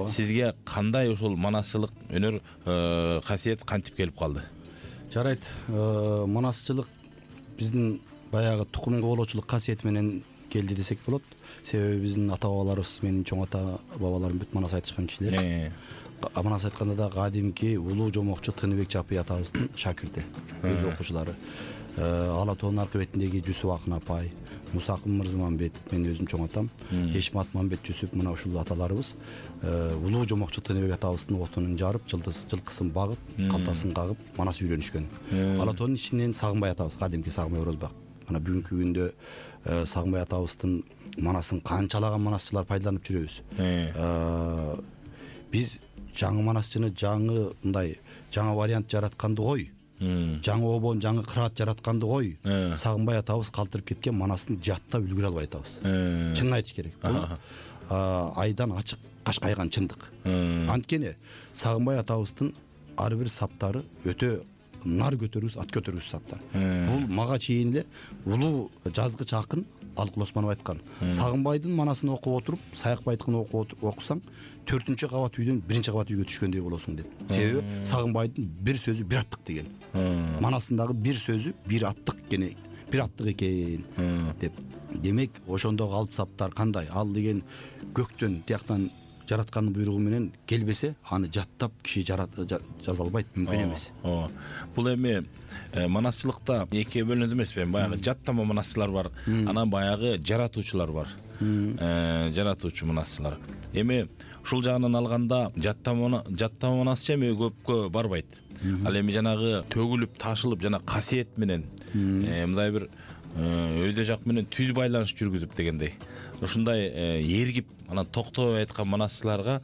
Сизге кандай ушул манасчылык өнөр касиет кантип келип калды? Жарайт, манасчылык биздин баягы тукум кубулуучулук касиет менен келди десек болот. Себеби биздин ата бабаларыбыз, менин чоң ата бабаларым бүт манас айтышкан кишилер. Манас айтканда да кадимки улуу жомокчу Тыныбек Жапый атабыздын шакирти, өз окуучулары. Ала тоонун аркы бетиндеги Жүсүп Акын апай, Мусакын Мырзаманбет, мен өзүм чоң атам, Эшмат Мамбет Жүсүп, мына ушул аталарыбыз улуу жомокчу Тыныбек атабыздын отунун жарып, жылдыз жылкысын багып, калтасын кагып, манас үйрөнүшкөн. Ала тоонун ичинен Сагынбай атабыз, кадимки Сагынбай Орозбак. Мына бүгүнкү күндө Сагынбай атабыздын манасын канчалаган манасчылар пайдаланып жүрөбүз. Биз жаңы манасчыны жаңы мындай жаңы вариант жаратканды кой, жаңы обон, жаңы кыраат жаратканды кой, Сагынбай атабыз калтырып кеткен манастын жаттап үлгүрө албай атабыз. Чынын айтыш керек. Бул айдан ачык кашкайган чындык. Анткени Сагынбай атабыздын ар бир саптары өтө нар көтөрүүс, ат көтөрүүс саптар. Бул мага чейин эле улуу жазгыч акын Алыкул Осмонов айткан. Сагынбайдын манасын окуп отуруп, Саякбайдыкын окуп окусаң, төртүнчү кабат үйдөн биринчи кабат үйгө түшкөндөй болосуң деп. Себеби Сагынбайдын бир сөзү бир аттык деген. Манасындагы бир сөзү бир аттык экен, бир аттык экен деп. Демек, ошондогу алып саптар кандай? Ал деген көктөн тияктан жараткандын буйругу менен келбесе, аны жаттап киши жаза албайт, мүмкүн эмес. Бул эми манасчылыкта экиге бөлүнөт эмеспи? Баягы жаттама манасчылар бар, анан баягы жаратуучулар бар. Жаратуучу манасчылар. Эми ушул жагынан алганда жаттама жаттама манасчы эми көпкө барбайт. Ал эми жанагы төгүлүп, ташылып жана касиет менен мындай бир өйдө жак менен түз байланыш жүргүзүп дегендей. Ушундай эргип, анан токтобой айткан манасчыларга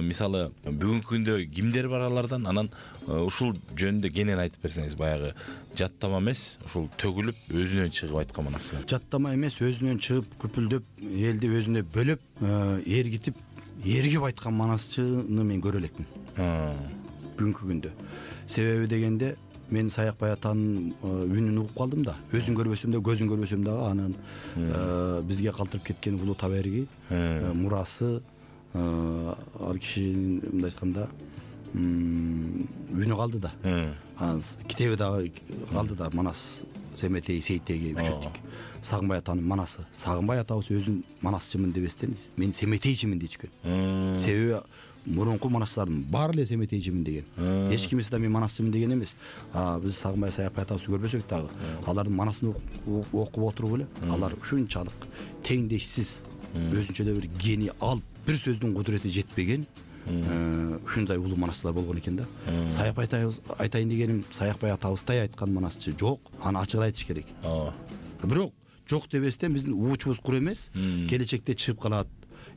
мисалы бүгүнкү күндө кимдер бар алардан? Анан ушул жөнүндө кенен айтып берсеңиз, баягы жаттама эмес, ушул төгүлүп, өзүнөн чыгып айткан манасчылар. Жаттама эмес, өзүнөн чыгып, күпүлдөп, элди өзүнө бөлөп, эргитип, эргип айткан манасчыны мен көрө элекмин. Бүгүнкү күндө. Себеби дегенде мен Саякбай атанын үнүн угуп калдым да. Өзүн көрбөсөм да, көзүн көрбөсөм дагы анын бизге калтырып кеткен улуу таберги, мурасы, ал кишинин мындай айтканда үнү калды да. Анын китеби дагы калды да, Манас Семетей Сейтеги үчөттүк. Сагынбай атанын манасы. Сагынбай атабыз өзүн манасчымын дебестен мен семетейчимин дечкен. Себеби мурунку манасчылардын баары эле семетейчимин деген. Эч кимиси да мен манасчымын деген эмес. Биз Сагынбай Саякбай атабызды көрбөсөк дагы, алардын манасын окуп отуруп эле, алар ушунчалык теңдешсиз, өзүнчө эле бир гений алып, бир сөздүн кудурети жетпеген ушундай улуу манасчылар болгон экен да. Саякбай атабыз айтайын дегеним, Саякбай атабыздай айткан манасчы жок, аны ачык айтыш керек. Бирок жок дебестен биздин уучубуз кур эмес, келечекте чыгып калат.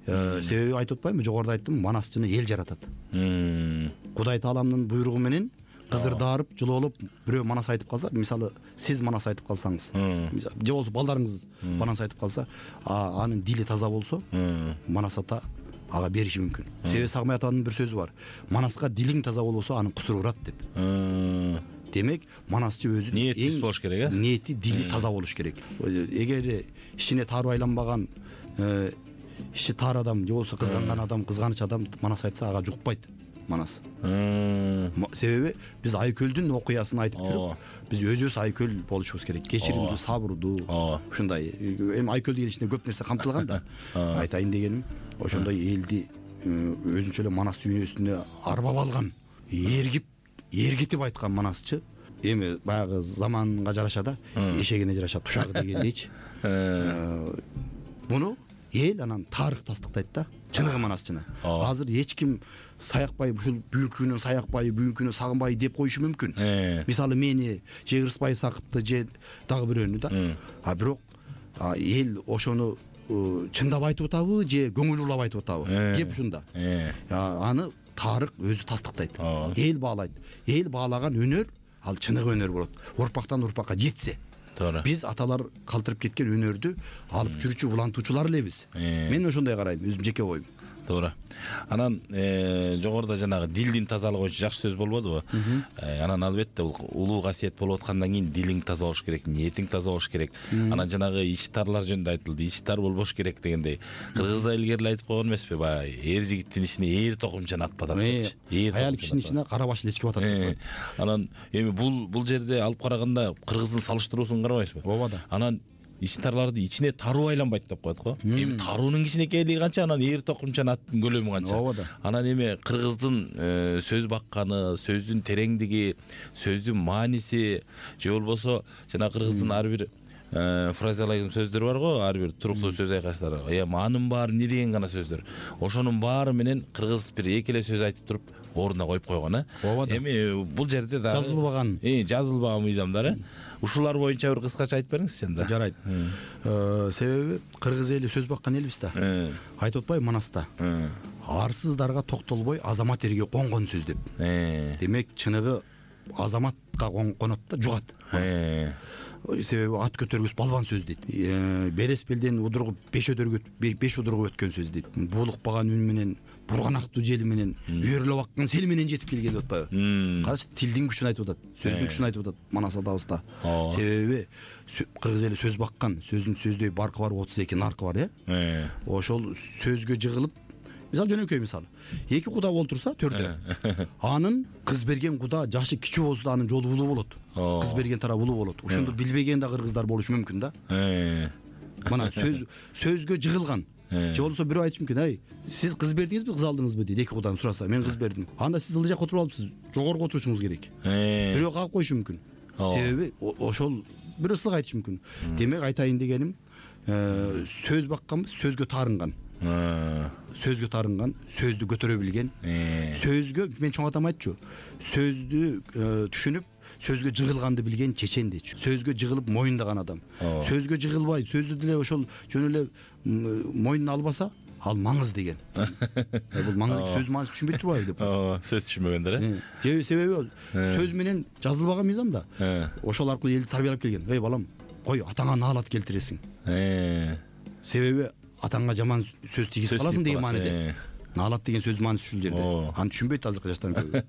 Себеби айтып атпаймынбы, жогоруда айттым, манасчыны эл жаратат. Кудай Тааламдын буйругу менен кызырдарып, жылоолуп бирөө манас айтып калса, мисалы сиз манас айтып калсаңыз, же болсо балдарыңыз манас айтып калса, анын дили таза болсо, манас ата ага бериши мүмкүн. Себеби Сагынбай атанын бир сөзү бар. Манаска дилиң таза болбосо, анын кусуру урат деп. Демек, манасчы өзүнүн ниети болуш керек, э? Ниети, дили таза болуш керек. Эгер ичине тары байланбаган, ичи тар адам, же болсо кызганган адам, кызганыч адам манас айтса, ага жукпайт. Манас. М, Себеби биз Айкөлдүн окуясын айтып жүрүп, биз өзүбүз Айкөл болушубуз керек. Кечиримдүү, сабырдуу, ушундай. Эми Айкөл деген ичинде көп нерсе камтылган да. Айтайын дегеним, ошондой элди өзүнчө эле Манас дүйнөсүнө арбап алган, эргип, эргитип айткан Манасчы. Эми баягы заманга жараша да, эшегине жараша тушагы дегендейчи. Буну эл анан тарых тастыктайт да. Чыныгы Манасчыны. Азыр эч ким саякпай, ушул бүгүнкүнү саякпай, бүгүнкүнү сагынбай деп коюшу мүмкүн. Мисалы мени же Кырсбай Сакыпты же дагы бирөөнү да. А бирок эл ошону чындап айтып атабы же көңүл улап айтып атабы? Кеп ушунда. Аны тарых өзү тастыктайт. Эл баалайт. Эл баалаган өнөр ал чыныгы өнөр болот. Урпактан урпакка жетсе. Туура. Биз аталар калтырып кеткен өнөрдү алып жүрүүчү улантуучулар элебиз. Мен ошондой карайм, өзүм жеке оюм. Туура. Анан жогоруда жанагы дилдин тазалыгы боюнча жакшы сөз болбодубу? Анан албетте бул улуу касиет болуп аткандан кийин дилиң таза болуш керек, ниетиң таза болуш керек. Анан жанагы ич тарлар жөнүндө айтылды. Ич тар болбош керек дегендей. Кыргызда илгери айтып койгон эмеспи? Баягы эр жигиттин ичине эр токумчаны атпатат депчи. Аял кишинин ичине кара баш лечке батат. Анан эми бул бул жерде алып караганда кыргыздын салыштыруусун карабайсызбы? Ооба да. Анан ич тарларды ичине таруу айланбайт деп коет го. Эми таруунун кичинекейлиги канча, анан эр токумчанын аттын көлөмү канча. Ооба да. Анан эми кыргыздын сөз бакканы, сөздүн тереңдиги, сөздүн мааниси же болбосо жана кыргыздын ар бир фразеологизм сөздөр бар го, ар бир туруктуу сөз айкаштар. Эми анын баары эмне деген гана сөздөр. Ошонун баары менен кыргыз бир эки эле сөз айтып туруп ордуна коюп койгон, э. Эми бул жерде да жазылбаган, э, жазылбаган мыйзамдар, э. Ушулар боюнча бир кыскача айтып бериңизчи анда. Жарайт. Себеби кыргыз эли сөз баккан элбиз да. Айтып атпайбы Манаста? Арсыздарга токтолбой азамат эрге конгон сөз деп. Демек чыныгы азаматка конот да, жугат. Себеби ат көтөргүс балбан сөз дейт. Берес белден удургуп беш өдөргө беш удургуп өткөн сөз дейт. Булукпаган үн менен, бурганактуу жел менен, үйрөлөп аккан сел менен жетип келген деп атпайбы? Карачы, тилдин күчүн айтып атат, сөздүн күчүн айтып атат Манас атабызда. Себеби кыргыз эли сөз баккан, сөздүн сөздөй баркы бар, отуз эки наркы бар, э. Ошол сөзгө жыгылып, мисалы жөнөкөй мисалы, эки куда олтурса төрдө, анын кыз берген куда жашы кичүү болсо да анын жолу улуу болот. Кыз берген тарап улуу болот. Ошондо билбеген да кыргыздар болушу мүмкүн да. Мына сөз сөзгө жыгылган. Же болсо бирөө айтышы мүмкүн, ай, сиз кыз бердиңизби, кыз алдыңызбы дейт, эки кудан сураса, мен кыз бердим. Анда сиз ылдый жакка отуруп алыпсыз, жогорку отурушуңуз керек. Бирөө кагып коюшу мүмкүн. Себеби ошол бирөө ысылык айтышы мүмкүн. Демек айтайын дегеним, сөз бакканбыз, сөзгө таарынган. Сөзгө таарынган, сөздү көтөрө билген. Сөзгө мен чоң атам айтчу, сөздү түшүнүп, сөзгө жыгылганды билген чечен дейчү. Сөзгө жыгылып моюндаган адам. Сөзгө жыгылбай, сөздү деле ошол жөн эле моюнуна албаса, ал маңыз деген. Бул маңыз сөз мааниси түшүнбөй турбайбы деп. Ооба, сөз түшүнбөгөндөр, э. Же себеби сөз менен жазылбаган мыйзам да. Ошол аркылуу элди тарбиялап келген. Эй балам, кой атаңа наалат келтиресиң. Себеби атаңа жаман сөз тийгизип каласың деген мааниде. Наалат деген сөздүн мааниси ушул жерде. Аны түшүнбөйт азыркы жаштар көбү.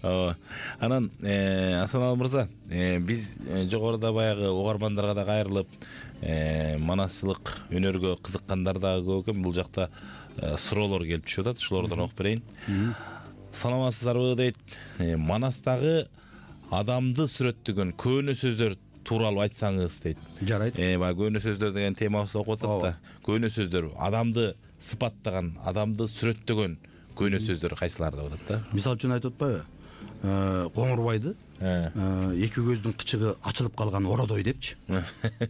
Ооба. Анан Асаналы мырза, биз жогоруда баягы угармандарга да кайрылып, манасчылык өнөргө кызыккандар да көп экен. Бул жакта суроолор келип түшүп атат. Ушулардан окуп берейин. Саламатсыздарбы дейт. Манастагы адамды сүрөттөгөн көөнө сөздөр тууралуу айтсаңыз дейт. Жарайт. Э, баягы көөнө сөздөр деген темабызды окуп атат да. Көөнө сөздөр адамды сыпаттаган, адамды сүрөттөгөн көөнө сөздөр кайсылар деп атат да. Мисал үчүн айтып атпайбы? Коңурбайды эки көздүн кычыгы ачылып калган ородой депчи.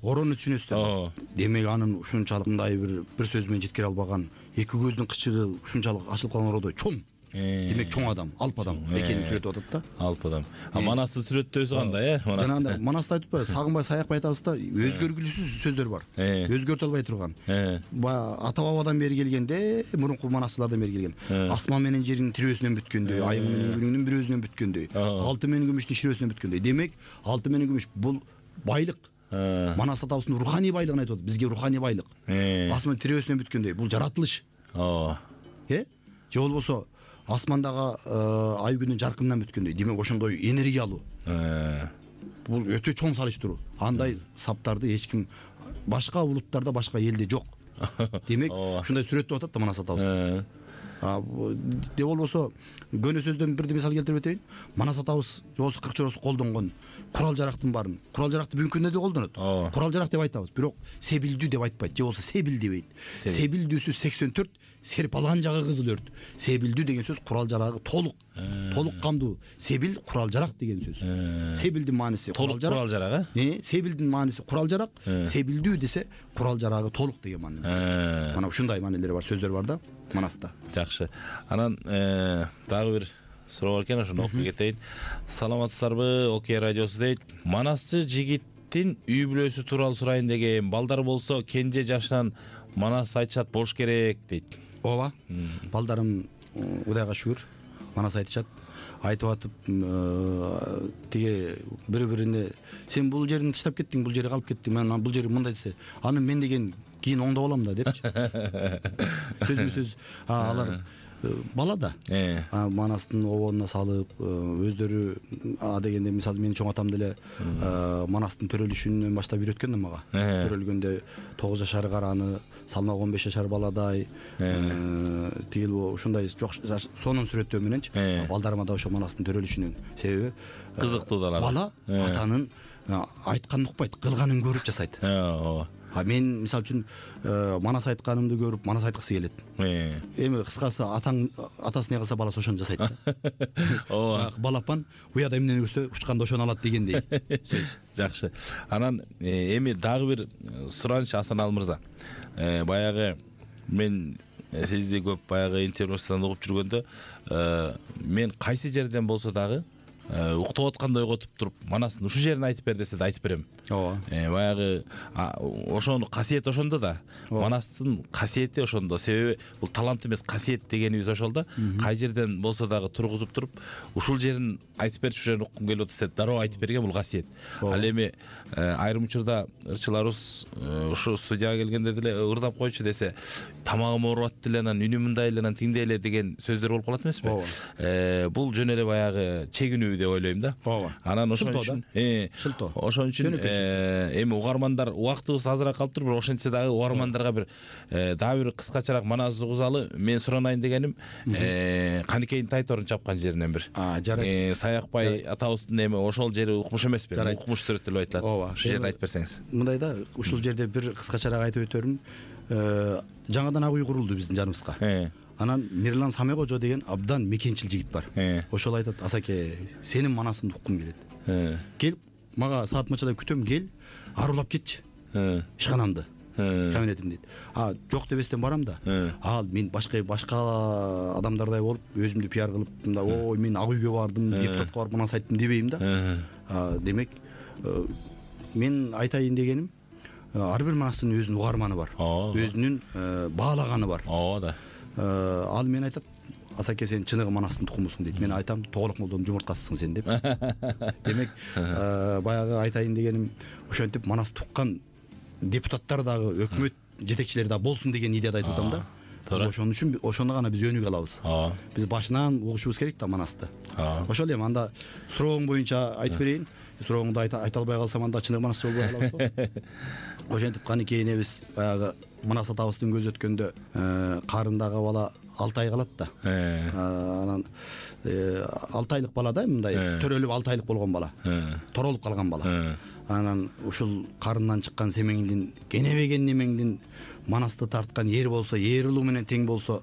Орону түшүнөсүздөр. Демек анын ушунчалык мындай бир бир сөз менен жеткире албаган, эки көздүн кычыгы ушунчалык ачылып калган ородой чоң. Демек чоң адам, алп адам экенин сүрөтүп атат да. Алп адам. А Манасты сүрөттөөсү кандай, э? Жанагындай Манаста айтып атпайбы? Сагынбай саякпай айтабыз да, өзгөргүлүүсүз сөздөр бар. Өзгөртө албай турган. Ата бабадан бери келгенде, мурунку манасчылардан бери келген. Асман менен жердин тирөөсүнөн бүткөндөй, айың менен күнүңдүн бир өзүнөн бүткөндөй, алтын менен күмүштүн ширөөсүнөн бүткөндөй. Демек, алтын менен күмүш бул байлык. Манас атабыздын руханий байлыгын айтып атат. Бизге руханий байлык. Асман тирөөсүнөн бүткөндөй, бул жаратылыш. Ооба. Э? Же болбосо асмандагы ай күнүн жаркынынан бүткөндөй. Демек ошондой энергиялуу. Бул өтө чоң салыштыруу. Андай саптарды эч ким башка улуттарда, башка элде жок. Демек ушундай сүрөттөп атат да Манас атабыз. де болбосо көне сөздөн бирди мисал келтирип өтөйүн. Манас атабыз жобосу кырк жолосу колдонгон курал жарактын баарын, курал жаракты бүгүнкү күндө да колдонот. Курал жарак деп айтабыз, бирок себилдүү деп айтпайт, же болбосо себил дебейт. Себилдүүсү сексен төрт, серпалган жагы кызыл өрт. Себилдүү деген сөз курал жарагы толук, толук камдуу. Себил курал жарак деген сөз. Себилдин мааниси курал жарак. Курал жарак, э? Себилдин мааниси курал жарак, себилдүү десе курал жарагы толук деген маани. Мана ушундай маанилери бар, сөздөр бар да Манаста. Жакшы. Анан дагы бир суроо бар экен, ошону окуп кетейин. Саламатсыздарбы, Окей радиосу дейт. Манасчы жигиттин үй бүлөсү тууралуу сурайын деген. Балдар болсо кенже жашынан манас айтышат болуш керек дейт. Ооба. Балдарым Кудайга шүгүр манас айтышат. Айтып атып, тиги бири-бирине сен бул жерин таштап кеттиң, бул жерге калып кеттиң, мен бул жери мындай десе, аны мен деген кийин оңдоп алам да депчи. Сөзбү сөз алар бала да манастын обонуна салып өздөрү а дегенде мисалы менин чоң атам деле манастын төрөлүшүнөн баштап үйрөткөн да мага. Төрөлгөндө тогуз жашар караны салмак он беш жашар баладай тигил ушундай жок сонун сүрөттөө мененчи балдарыма да ошо манастын төрөлүшүнөн. Себеби кызыктуу да бала атанын айтканын укпайт, кылганын көрүп жасайт. Ооба. А мен мисалы үчүн манас айтканымды көрүп манас айткысы келет. Эми кыскасы атаң атасы не кылса баласы ошону жасайт да. Ооба. Балапан уяда эмнени көрсө учканда ошону алат дегендей сөз. Жакшы. Анан эми дагы бир сураныч Асан Ал мырза. Баягы мен сизди көп баягы интернеттен угуп жүргөндө мен кайсы жерден болсо дагы уктап аткандай ойготуп туруп манастын ушул жерин айтып бер десе да айтып берем. Ооба. Баягы ошону касиет ошондо да. Манастын касиети ошондо. Себеби бул талант эмес, касиет дегенибиз ошол да. Кай жерден болсо дагы тургузуп туруп ушул жерин айтып берчү, ушул жерин уккум келип атса дароо айтып берген бул касиет. Ал эми айрым учурда ырчыларыбыз ушу студияга келгенде деле ырдап койчу десе, тамагым ооруп атты эле, анан үнүм мындай эле, анан тиңдей эле деген сөздөр болуп калат эмеспи? Бул жөн эле баягы чегинүү деп ойлойм да. Анан ошон үчүн э ошон үчүн эми угармандар убактыбыз азыраак калып тур, бирок ошентсе дагы угармандарга бир дагы бир кыскачараак манас угузалы мен суранайын дегеним, Каныкейдин Тайторун чапкан жеринен бир. Саякбай атабыздын эми ошол жери укмуш эмеспи? Укмуш сүрөттөлүп айтылат. Ушул жерди айтып берсеңиз. Мындай да, ушул жерде бир кыскачараак айтып өтөрүм. Жаңадан ак үй курулду биздин жаныбызга. Анан Мирлан Самекожо деген абдан мекенчил жигит бар. Ошол айтат: "Асаке, сенин манасыңды уккум келет. Кел, мага саат мынчада күтөм, кел, арулап кетчи. Ишканамды, кабинетимди дейт. А, жок дебестен барам да. Ал мен башка башка адамдардай болуп, өзүмдү пиар кылып, мындай, ой, мен ак үйгө бардым, депутатка барып манас айттым дебейм да. Демек, мен айтайын дегеним, ар бир манастын өзүнүн угарманы бар, өзүнүн баалаганы бар. Ооба да. Ал мен айтат: "Асаке, сен чыныгы манастын тукумусуң" дейт. Мен айтам: "Тоголок молдонун жумурткасысың сен" деп. Демек, баягы айтайын дегеним, ошентип манас туккан депутаттар дагы, өкмөт жетекчилери дагы болсун деген идеяда айтып атам да. Ошон үчүн ошону гана биз өнүгө алабыз. Биз башынан угушубуз керек да манасты. Ошол эми анда сурооң боюнча айтып берейин. Сурооңду айта албай калсам анда чыныгы манасчы болбой калабыз го. Ошентип Каныкей энебиз баягы манас атабыздын көзү өткөндө карындагы бала алты ай калат да. Анан алты айлык бала да, мындай төрөлүп алты айлык болгон бала. Торолуп калган бала. Анан ушул карындан чыккан семеңдин, кенебеген немеңдин манасты тарткан эр болсо, эр улуу менен тең болсо,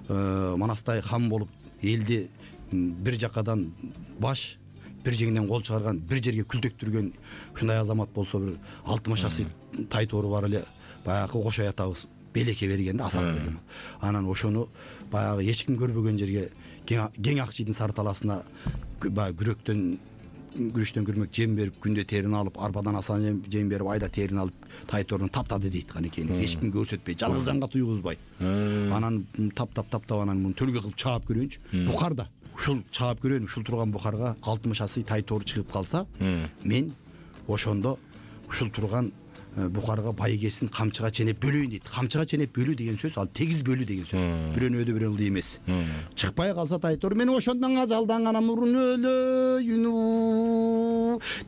манастай хан болуп, элди бир жакадан баш, бир жеңинен кол чыгарган, бир жерге күлтөктүргөн ушундай азамат болсо, бир алтымыш жашый Тайтору бар эле баягы Кошой атабыз белекке берген да, асак берген. Анан ошону баягы эч ким көрбөгөн жерге кең Акчийдин сары таласына баягы күрөктөн күрүчтөн күрмөк жем берип, күндө терин алып, арбадан асан жем берип, айда терин алып Тайторуну таптады дейт Каныкей. Эч кимге көрсөтпөй, жалгыз жанга туйгузбай. Анан таптап таптап анан муну төлгө кылып чаап көрөйүнчү. Бухарда ушул чаап көрөйүн, ушул турган бухарга алтымыш жашый Тайтору чыгып калса, мен ошондо ушул турган бухарга байгесин камчыга ченеп бөлөйүн дейт. Камчыга ченеп бөлүү деген сөз ал тегиз бөлүү деген сөз. Бирөөнү өдө бирөөнү эмес. Чыкпай калса Тайтор, мен ошондон ажалдан гана мурун өлөйүн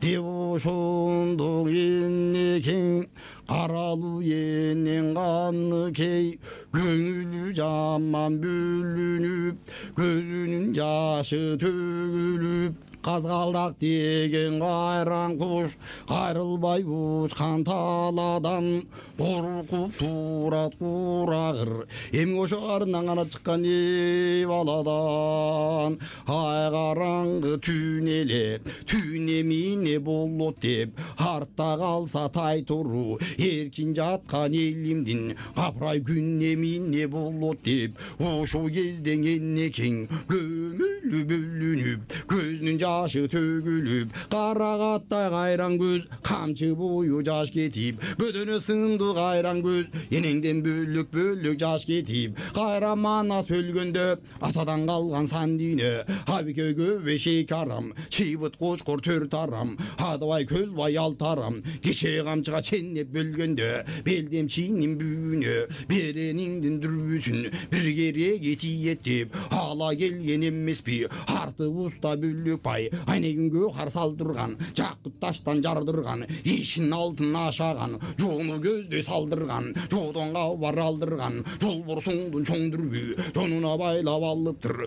деп ошондон эне кең каралуу энен каны кей көңүлү жаман бүлүнүп көзүнүн жашы төгүлүп казгалдак деген кайран куш кайрылбай учкан талаадан коркуп турат курагыр эми ошо арынан гана чыккан эй баладан ай караңгы түн эле түн эми эмне болот деп артта калса тайтуруу эркин жаткан элимдин капырай күн эми эмне болот деп ошол кезден энекең көңүлү бөлүнүп көзүнүн жашы төгүлүп карагаттай кайран көз камчы бою жаш кетип бөдөнө сынды кайран көз энеңден бөлөк бөлөк жаш кетип кайра манас өлгөндө атадан калган сан дүйнө абикөгө бешик арам чыйбыт кочкор төрт арам адыбай көлбай алты арам кечээ камчыга ченнеп бөлгөндө белдем чинин бүүнө берениңдин дүрбүсүн бир кереги тиет деп ала келген эмеспи арты уста бөлөк бай айнегүнгө кар салдырган жакып таштан жардырган ишин алтын ашаган жоону көздөй салдырган жоодон кабар алдырган жолборсуңдун чоң дүрбү жонуна байлап алыптыр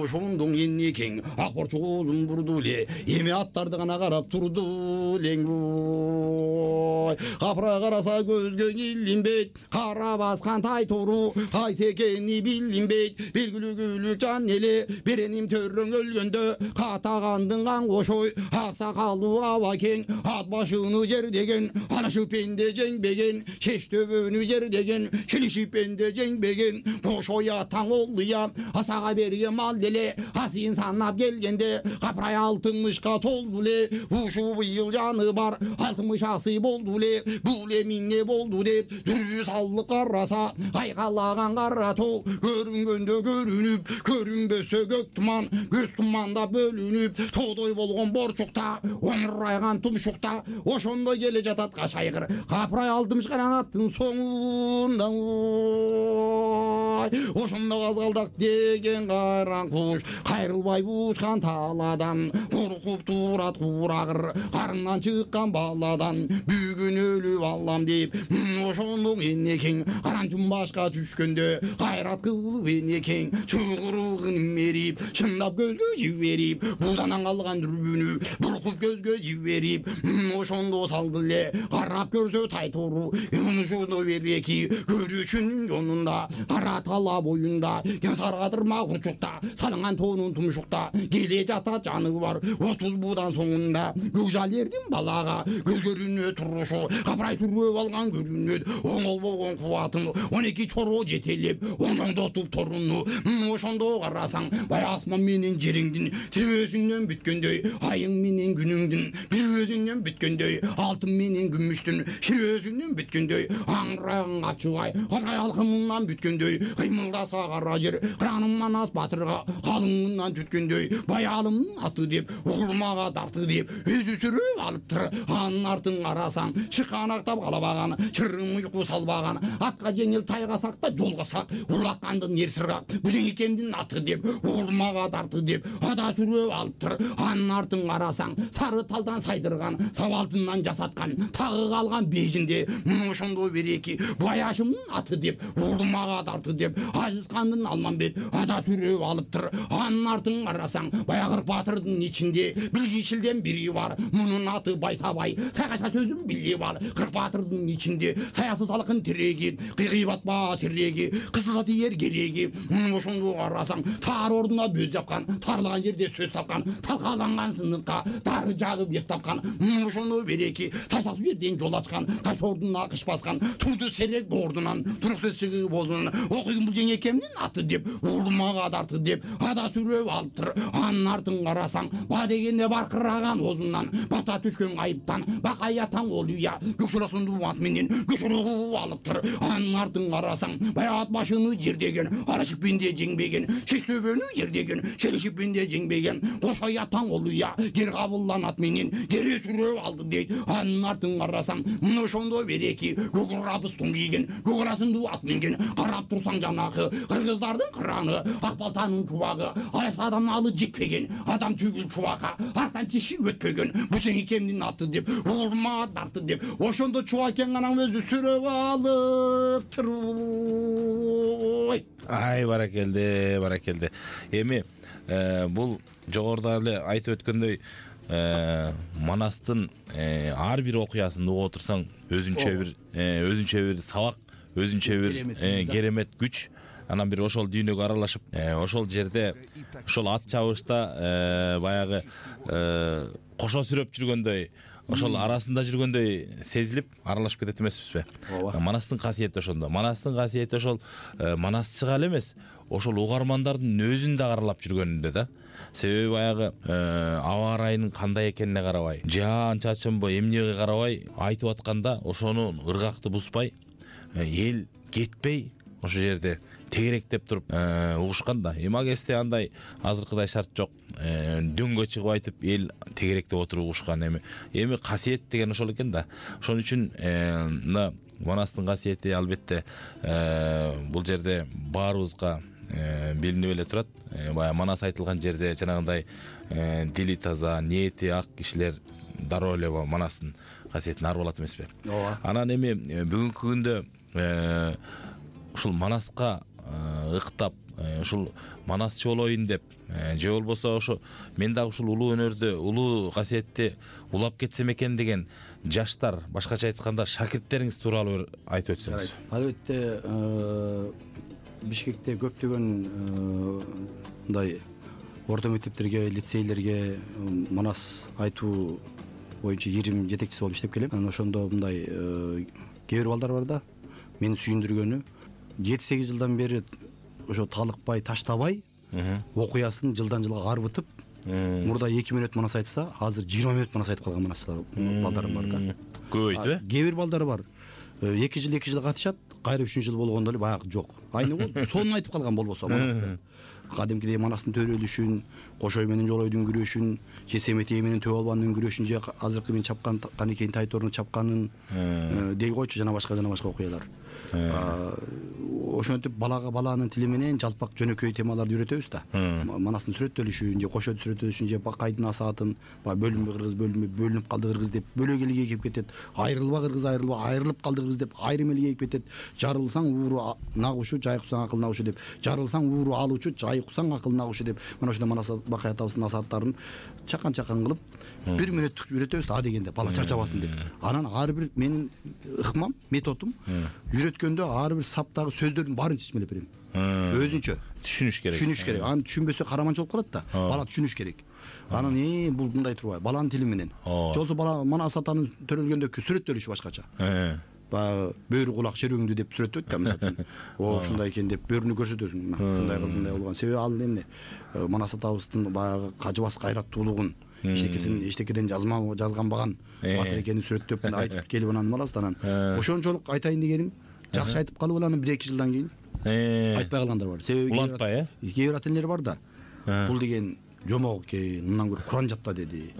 ошондон энекең ак борчок оозун бурду эле эми аттарды гана карап турду элең ой капырай караса көзгө илинбейт кара баскан тайтуруу кайсы экени билинбейт белгилүү күлүк жан эле береним төрөң өлгөндө катагандын кан кошой ак сакалдуу абакең ат башыны жердеген анашып пенде жеңбеген чеч төбөнү жердеген шилишип пенде жеңбеген бошой атаң олуя асага берген мал деле асыйын санап келгенде капырай алтымышка толду эле ушу быйыл жаны бар алтымыш асы болду эле бул эмне болду деп дүрбү салып караса айкалаган кара тоо көрүнгөндө көрүнүп көрүнбөсө көк туман көз туманда бөлүнүп тоодой болгон борчукта оңурайган тумшукта ошондо келе жатат кашайгыр капырай алтымышканан аттын соңунда ошондо казгалдак деген кайран куш кайрылбай учкан талаадан коркуп турат курагыр карындан чыккан баладан бүгүн өлүп алам деп ошондо энекең карантүн башка түшкөндө кайрат кылып энекең чугуругун мерип чындап көзгө жиберип булданан калган дүрбүнү буркуп көзгө жиберип ошондо салды эле карап көрсө тайтуруу ошондо береки көрүүчүнүн жонунда кара тала боюнда саргадырма курчукта салынган тоонун тумшукта келе жатат жаны бар отуз буудан соңунда көкжал эрдин балага көз көрүнө турушу капырай сүрөп алган көрүнөт оңол болгон кубатын он эки чороо жетелеп оңжоңдотуп торуну ошондо карасаң баягы асман менен жериңдин тирөөсүнөн бүткөндөй айың менен күнүңдүн бир өзүнөн бүткөндөй алтын менен күмүштүн ширөөсүнөн бүткөндөй аңыраган капчыбай капырай алкымынан бүткөндөй кыймылдаса кара жер кыраным манас батырга калыңынан түткөндөй баялымдын аты деп угулмага дарты деп өзү сүрөп алыптыр анын артын карасаң чыканактап калабаган чырым уйку салбаган атка жеңил тайгасак да жолгосак улаккандын ер сыргак бужеңекемдин аты деп угулмага дарты деп ада сүрөп алыптыр анын артын карасаң сары талдан сайдырган сабалтынан жасаткан тагы калган бежинде ошондо береки баяшымдын аты деп угулмага дарты деп ажыскандын алмамбет ада сүрөп алыптыр анын артын карасаң баягы кырк батырдын ичинде билгичилден бири бар мунун аты Байсабай сайгаша сөзүн билип ал кырк батырдын ичинде саясы салкын тиреги кыйгыйбатпа сиреги кысылса тиер кереги ошондо карасаң таар ордуна бөз жапкан таарлаган жерде сөз тапкан талкаланган сыныпка дары жагып еп тапкан ошондо береки таштасуу жерден жол ачкан таш ордуна кыш баскан турду серек ордунан турук сөз чыгып озунан окуйм бул жеңекемдин аты деп угулмага дарты деп ада сүрөп алыптыр анын артын карасаң ба дегенде баркыраган озунан бата түшкөн айыптан бакай атаң олуя көкшөласундуу ат менен көчөрүп алыптыр анын артын карасаң баягы ат башыны жердеген арашипинде жеңбеген шештөбөнү жердеген шелишипинде жеңбеген кошой атаң олуя кер кабылдан ат менен кере сүрөп алды дейт анын артын карасаң ошондо береки көк арабыстын кийген көк арасындуу ат менген карап турсаң жанагы, кыргыздардын кыраны, ак балтанын чубагы, алыс адамдын алы жекпеген, адам түгүл чубакка, арстан тиши өтпөгөн, бучең экемдин аты деп, улма дарты деп, ошондо чубакең анан өзү сүрөп алыптыр. Ай, баракелде, баракелде. Эми бул жогоруда эле айтып өткөндөй, Манастын ар бир окуясын угуп отурсаң, өзүнчө бир өзүнчө бир сабак, өзүнчө бир керемет күч. Анан бир ошол дүйнөгө аралашып, ошол жерде ошол ат чабышта баягы кошо сүрөп жүргөндөй, ошол арасында жүргөндөй сезилип аралашып кетет эмеспизби? Манастын касиети ошондо. Манастын касиети ошол манасчыга эле эмес, ошол угармандардын өзүн да аралап жүргөнүндө да. Себеби баягы аба ырайынын кандай экенине карабай, жаан чачынбы, эмнеге карабай айтып атканда ошону ыргакты бузбай, эл кетпей ошол жерде тегеректеп туруп угушкан да. Эми агесте андай азыркыдай шарт жок. Дөңгө чыгып айтып эл тегеректеп отуруп угушкан. Эми эми касиет деген ошол экен да. Ошон үчүн мына Манастын касиети албетте бул жерде баарыбызга билинип эле турат. Баягы Манас айтылган жерде жанагындай дили таза, ниети ак кишилер дароо эле Манастын касиетин арбалат эмеспи? Ооба. Анан эми бүгүнкү күндө ушул Манаска ыктап, ушул манасчы болоюн деп, же болбосо ошо мен дагы ушул улуу өнөрдү, улуу касиетти улап кетсем экен деген жаштар, башкача айтканда шакирттериңиз тууралуу айтып өтсөңүз. Албетте, Бишкекте көптөгөн мындай орто мектептерге, лицейлерге Манас айтуу боюнча ирим жетекчиси болуп иштеп келем. Анан ошондо мындай кээ бир балдар бар да, мени сүйүндүргөнү жети сегиз жылдан бери ошо талыкпай, таштабай окуясын жылдан жылга арбытып, мурда эки мүнөт Манас айтса, азыр жыйырма мүнөт Манас айтып калган манасчылар балдарым бар да. Көбөйтү? Кээ бир балдар бар, эки жыл эки жыл катышат, кайра үчүнчү жыл болгондо эле баягы жок. Айны болуп, сонун айтып калган болбосо Манасты. Кадимкидей Манастын төрөлүшүн, Кошой менен Жолойдун күрөшүн, же Семетей менен Төбө Албандын күрөшүн, же азыркы мен чапкан Канекейин Тайтордун чапканын дей койчу, жана башка жана башка окуялар. Ошентип балага баланын тили менен жалпак жөнөкөй темаларды үйрөтөбүз да. Манастын сүрөттөлүшүн, же Кошойдун сүрөттөлүшүн, же Бакайдын асаатын, баягы бөлүнбө кыргыз, бөлүнбө, бөлүнүп калды кыргыз деп бөлөк элге кирип кетет. Айрылба кыргыз, айрылба, айрылып калды кыргыз деп айрым элге кирип кетет. Жарылсаң ууру нагушу, жайкусаң акыл нагушу деп. Жарылсаң ууру алуучу, жайкусаң акыл нагушу деп. Мына ошондо Манас Бакай атабыздын асааттарын чакан-чакан кылып бир мүнөттүк үйрөтөбүз да, дегенде бала чарчабасын деп. Анан ар бир менин ыкмам, методум үйрөткөндө ар бир саптагы сөздөрдүн баарын чечмелеп берем. Өзүнчө түшүнүш керек. Түшүнүш керек. Аны түшүнбөсө караманчы болуп калат да. Бала түшүнүш керек. Анан э бул мындай турбайбы? Баланын тили менен. Жолсо бала Манас атанын төрөлгөндөгү сүрөттөлүшү башкача. Баягы бөөрү кулак шерөңдү деп сүрөттөйт да, мисалы. О, ушундай экен деп бөөрүнү көрсөтөсүң. Ушундай кылып, мындай болгон. Себеби ал эмне? Манас атабыздын баягы кажыбас кайраттуулугун, эчтекесин эчтекеден жазма жазганбаган батыр экенин сүрөттөп айтып келип анан Манас анан ошончолук айтайын дегеним, жакшы айтып калып анан бир эки жылдан кийин айтпай калгандар бар. Себеби улантпай, э? Кээ бир ата энелер бар да. Бул деген жомок экен, мындан көрө Куран жатта деди.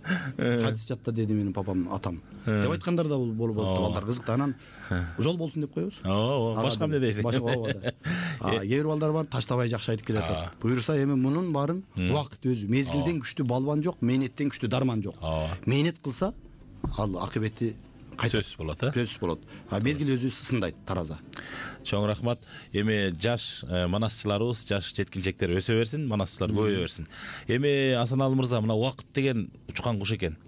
Хадис жатта деди менин папам, атам деп айткандар да болуп болупту. Балдар кызыктуу. Анан жол болсун деп коебуз. Ооба, башка эмне дейсиң? Башка ооба да. Кээ бир балдар бар, таштабай жакшы айтып келатат. Буюрса эми мунун баарын убакыт өзү. Мезгилден күчтүү балбан жок, мээнеттен күчтүү дарман жок. Мээнет кылса, ал акыбети сөзсүз болот, э? Сөзсүз болот. А мезгил өзү сындайт, тараза. Чоң рахмат. Эми жаш манасчыларыбыз, жаш жеткинчектер өсө берсин, манасчылар көбөйө берсин. Эми Асаналы мырза, мына убакыт деген учкан куш экен.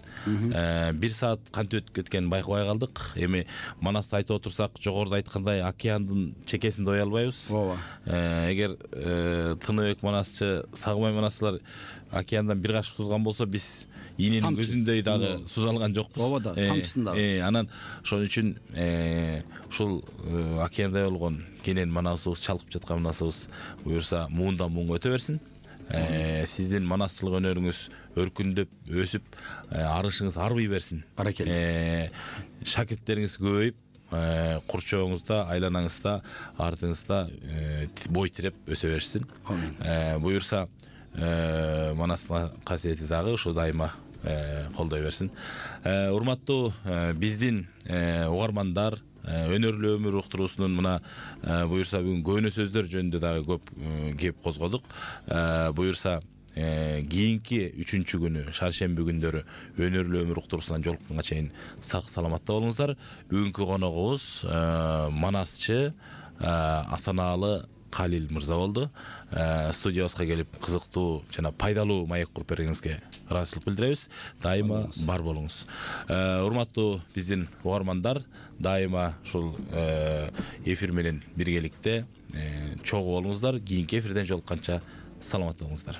Бир саат кантип өтүп кеткенин байкабай калдык. Эми Манасты айтып отурсак, жогоруда айткандай океандын чекесинде ой албайбыз. Ооба. Эгер Тыныбек манасчы, Сагымай манасчылар океандан бир кашык сузган болсо, биз ийненин көзүндөй дагы суз алган жокпуз. Ооба да, тамчысында. Анан ошон үчүн ушул океандай болгон кенен манасыбыз, чалкып жаткан манасыбыз буюрса муундан муунга өтө берсин. Сиздин манасчылык өнөрүңүз өркүндөп, өсүп, арышыңыз арбый берсин. Баракелде. Шакирттериңиз көбөйүп, курчоңузда, айланаңызда, артыңызда бой тиреп өсө берсин. Буюрса Манастын касиети дагы ушу дайыма колдой берсин. Урматтуу биздин угармандар, өнөрлүү өмүр уктуруусунун мына буюрса бүгүн көөнө сөздөр жөнүндө дагы көп кеп козгодук. Буюрса кийинки үчүнчү күнү шаршемби күндөрү өнөрлүү өмүр уктуруусунан жолукканга чейин сак саламатта болуңуздар. Бүгүнкү коногубуз манасчы Асанаалы Калил мырза болду. Студиябызга келип кызыктуу жана пайдалуу маек куруп бергениңизге ыраазычылык билдиребиз. Дайыма бар болуңуз. Урматтуу биздин угармандар, дайыма ушул эфир менен биргеликте чогуу болуңуздар. Кийинки эфирден жолукканча саламатта болуңуздар.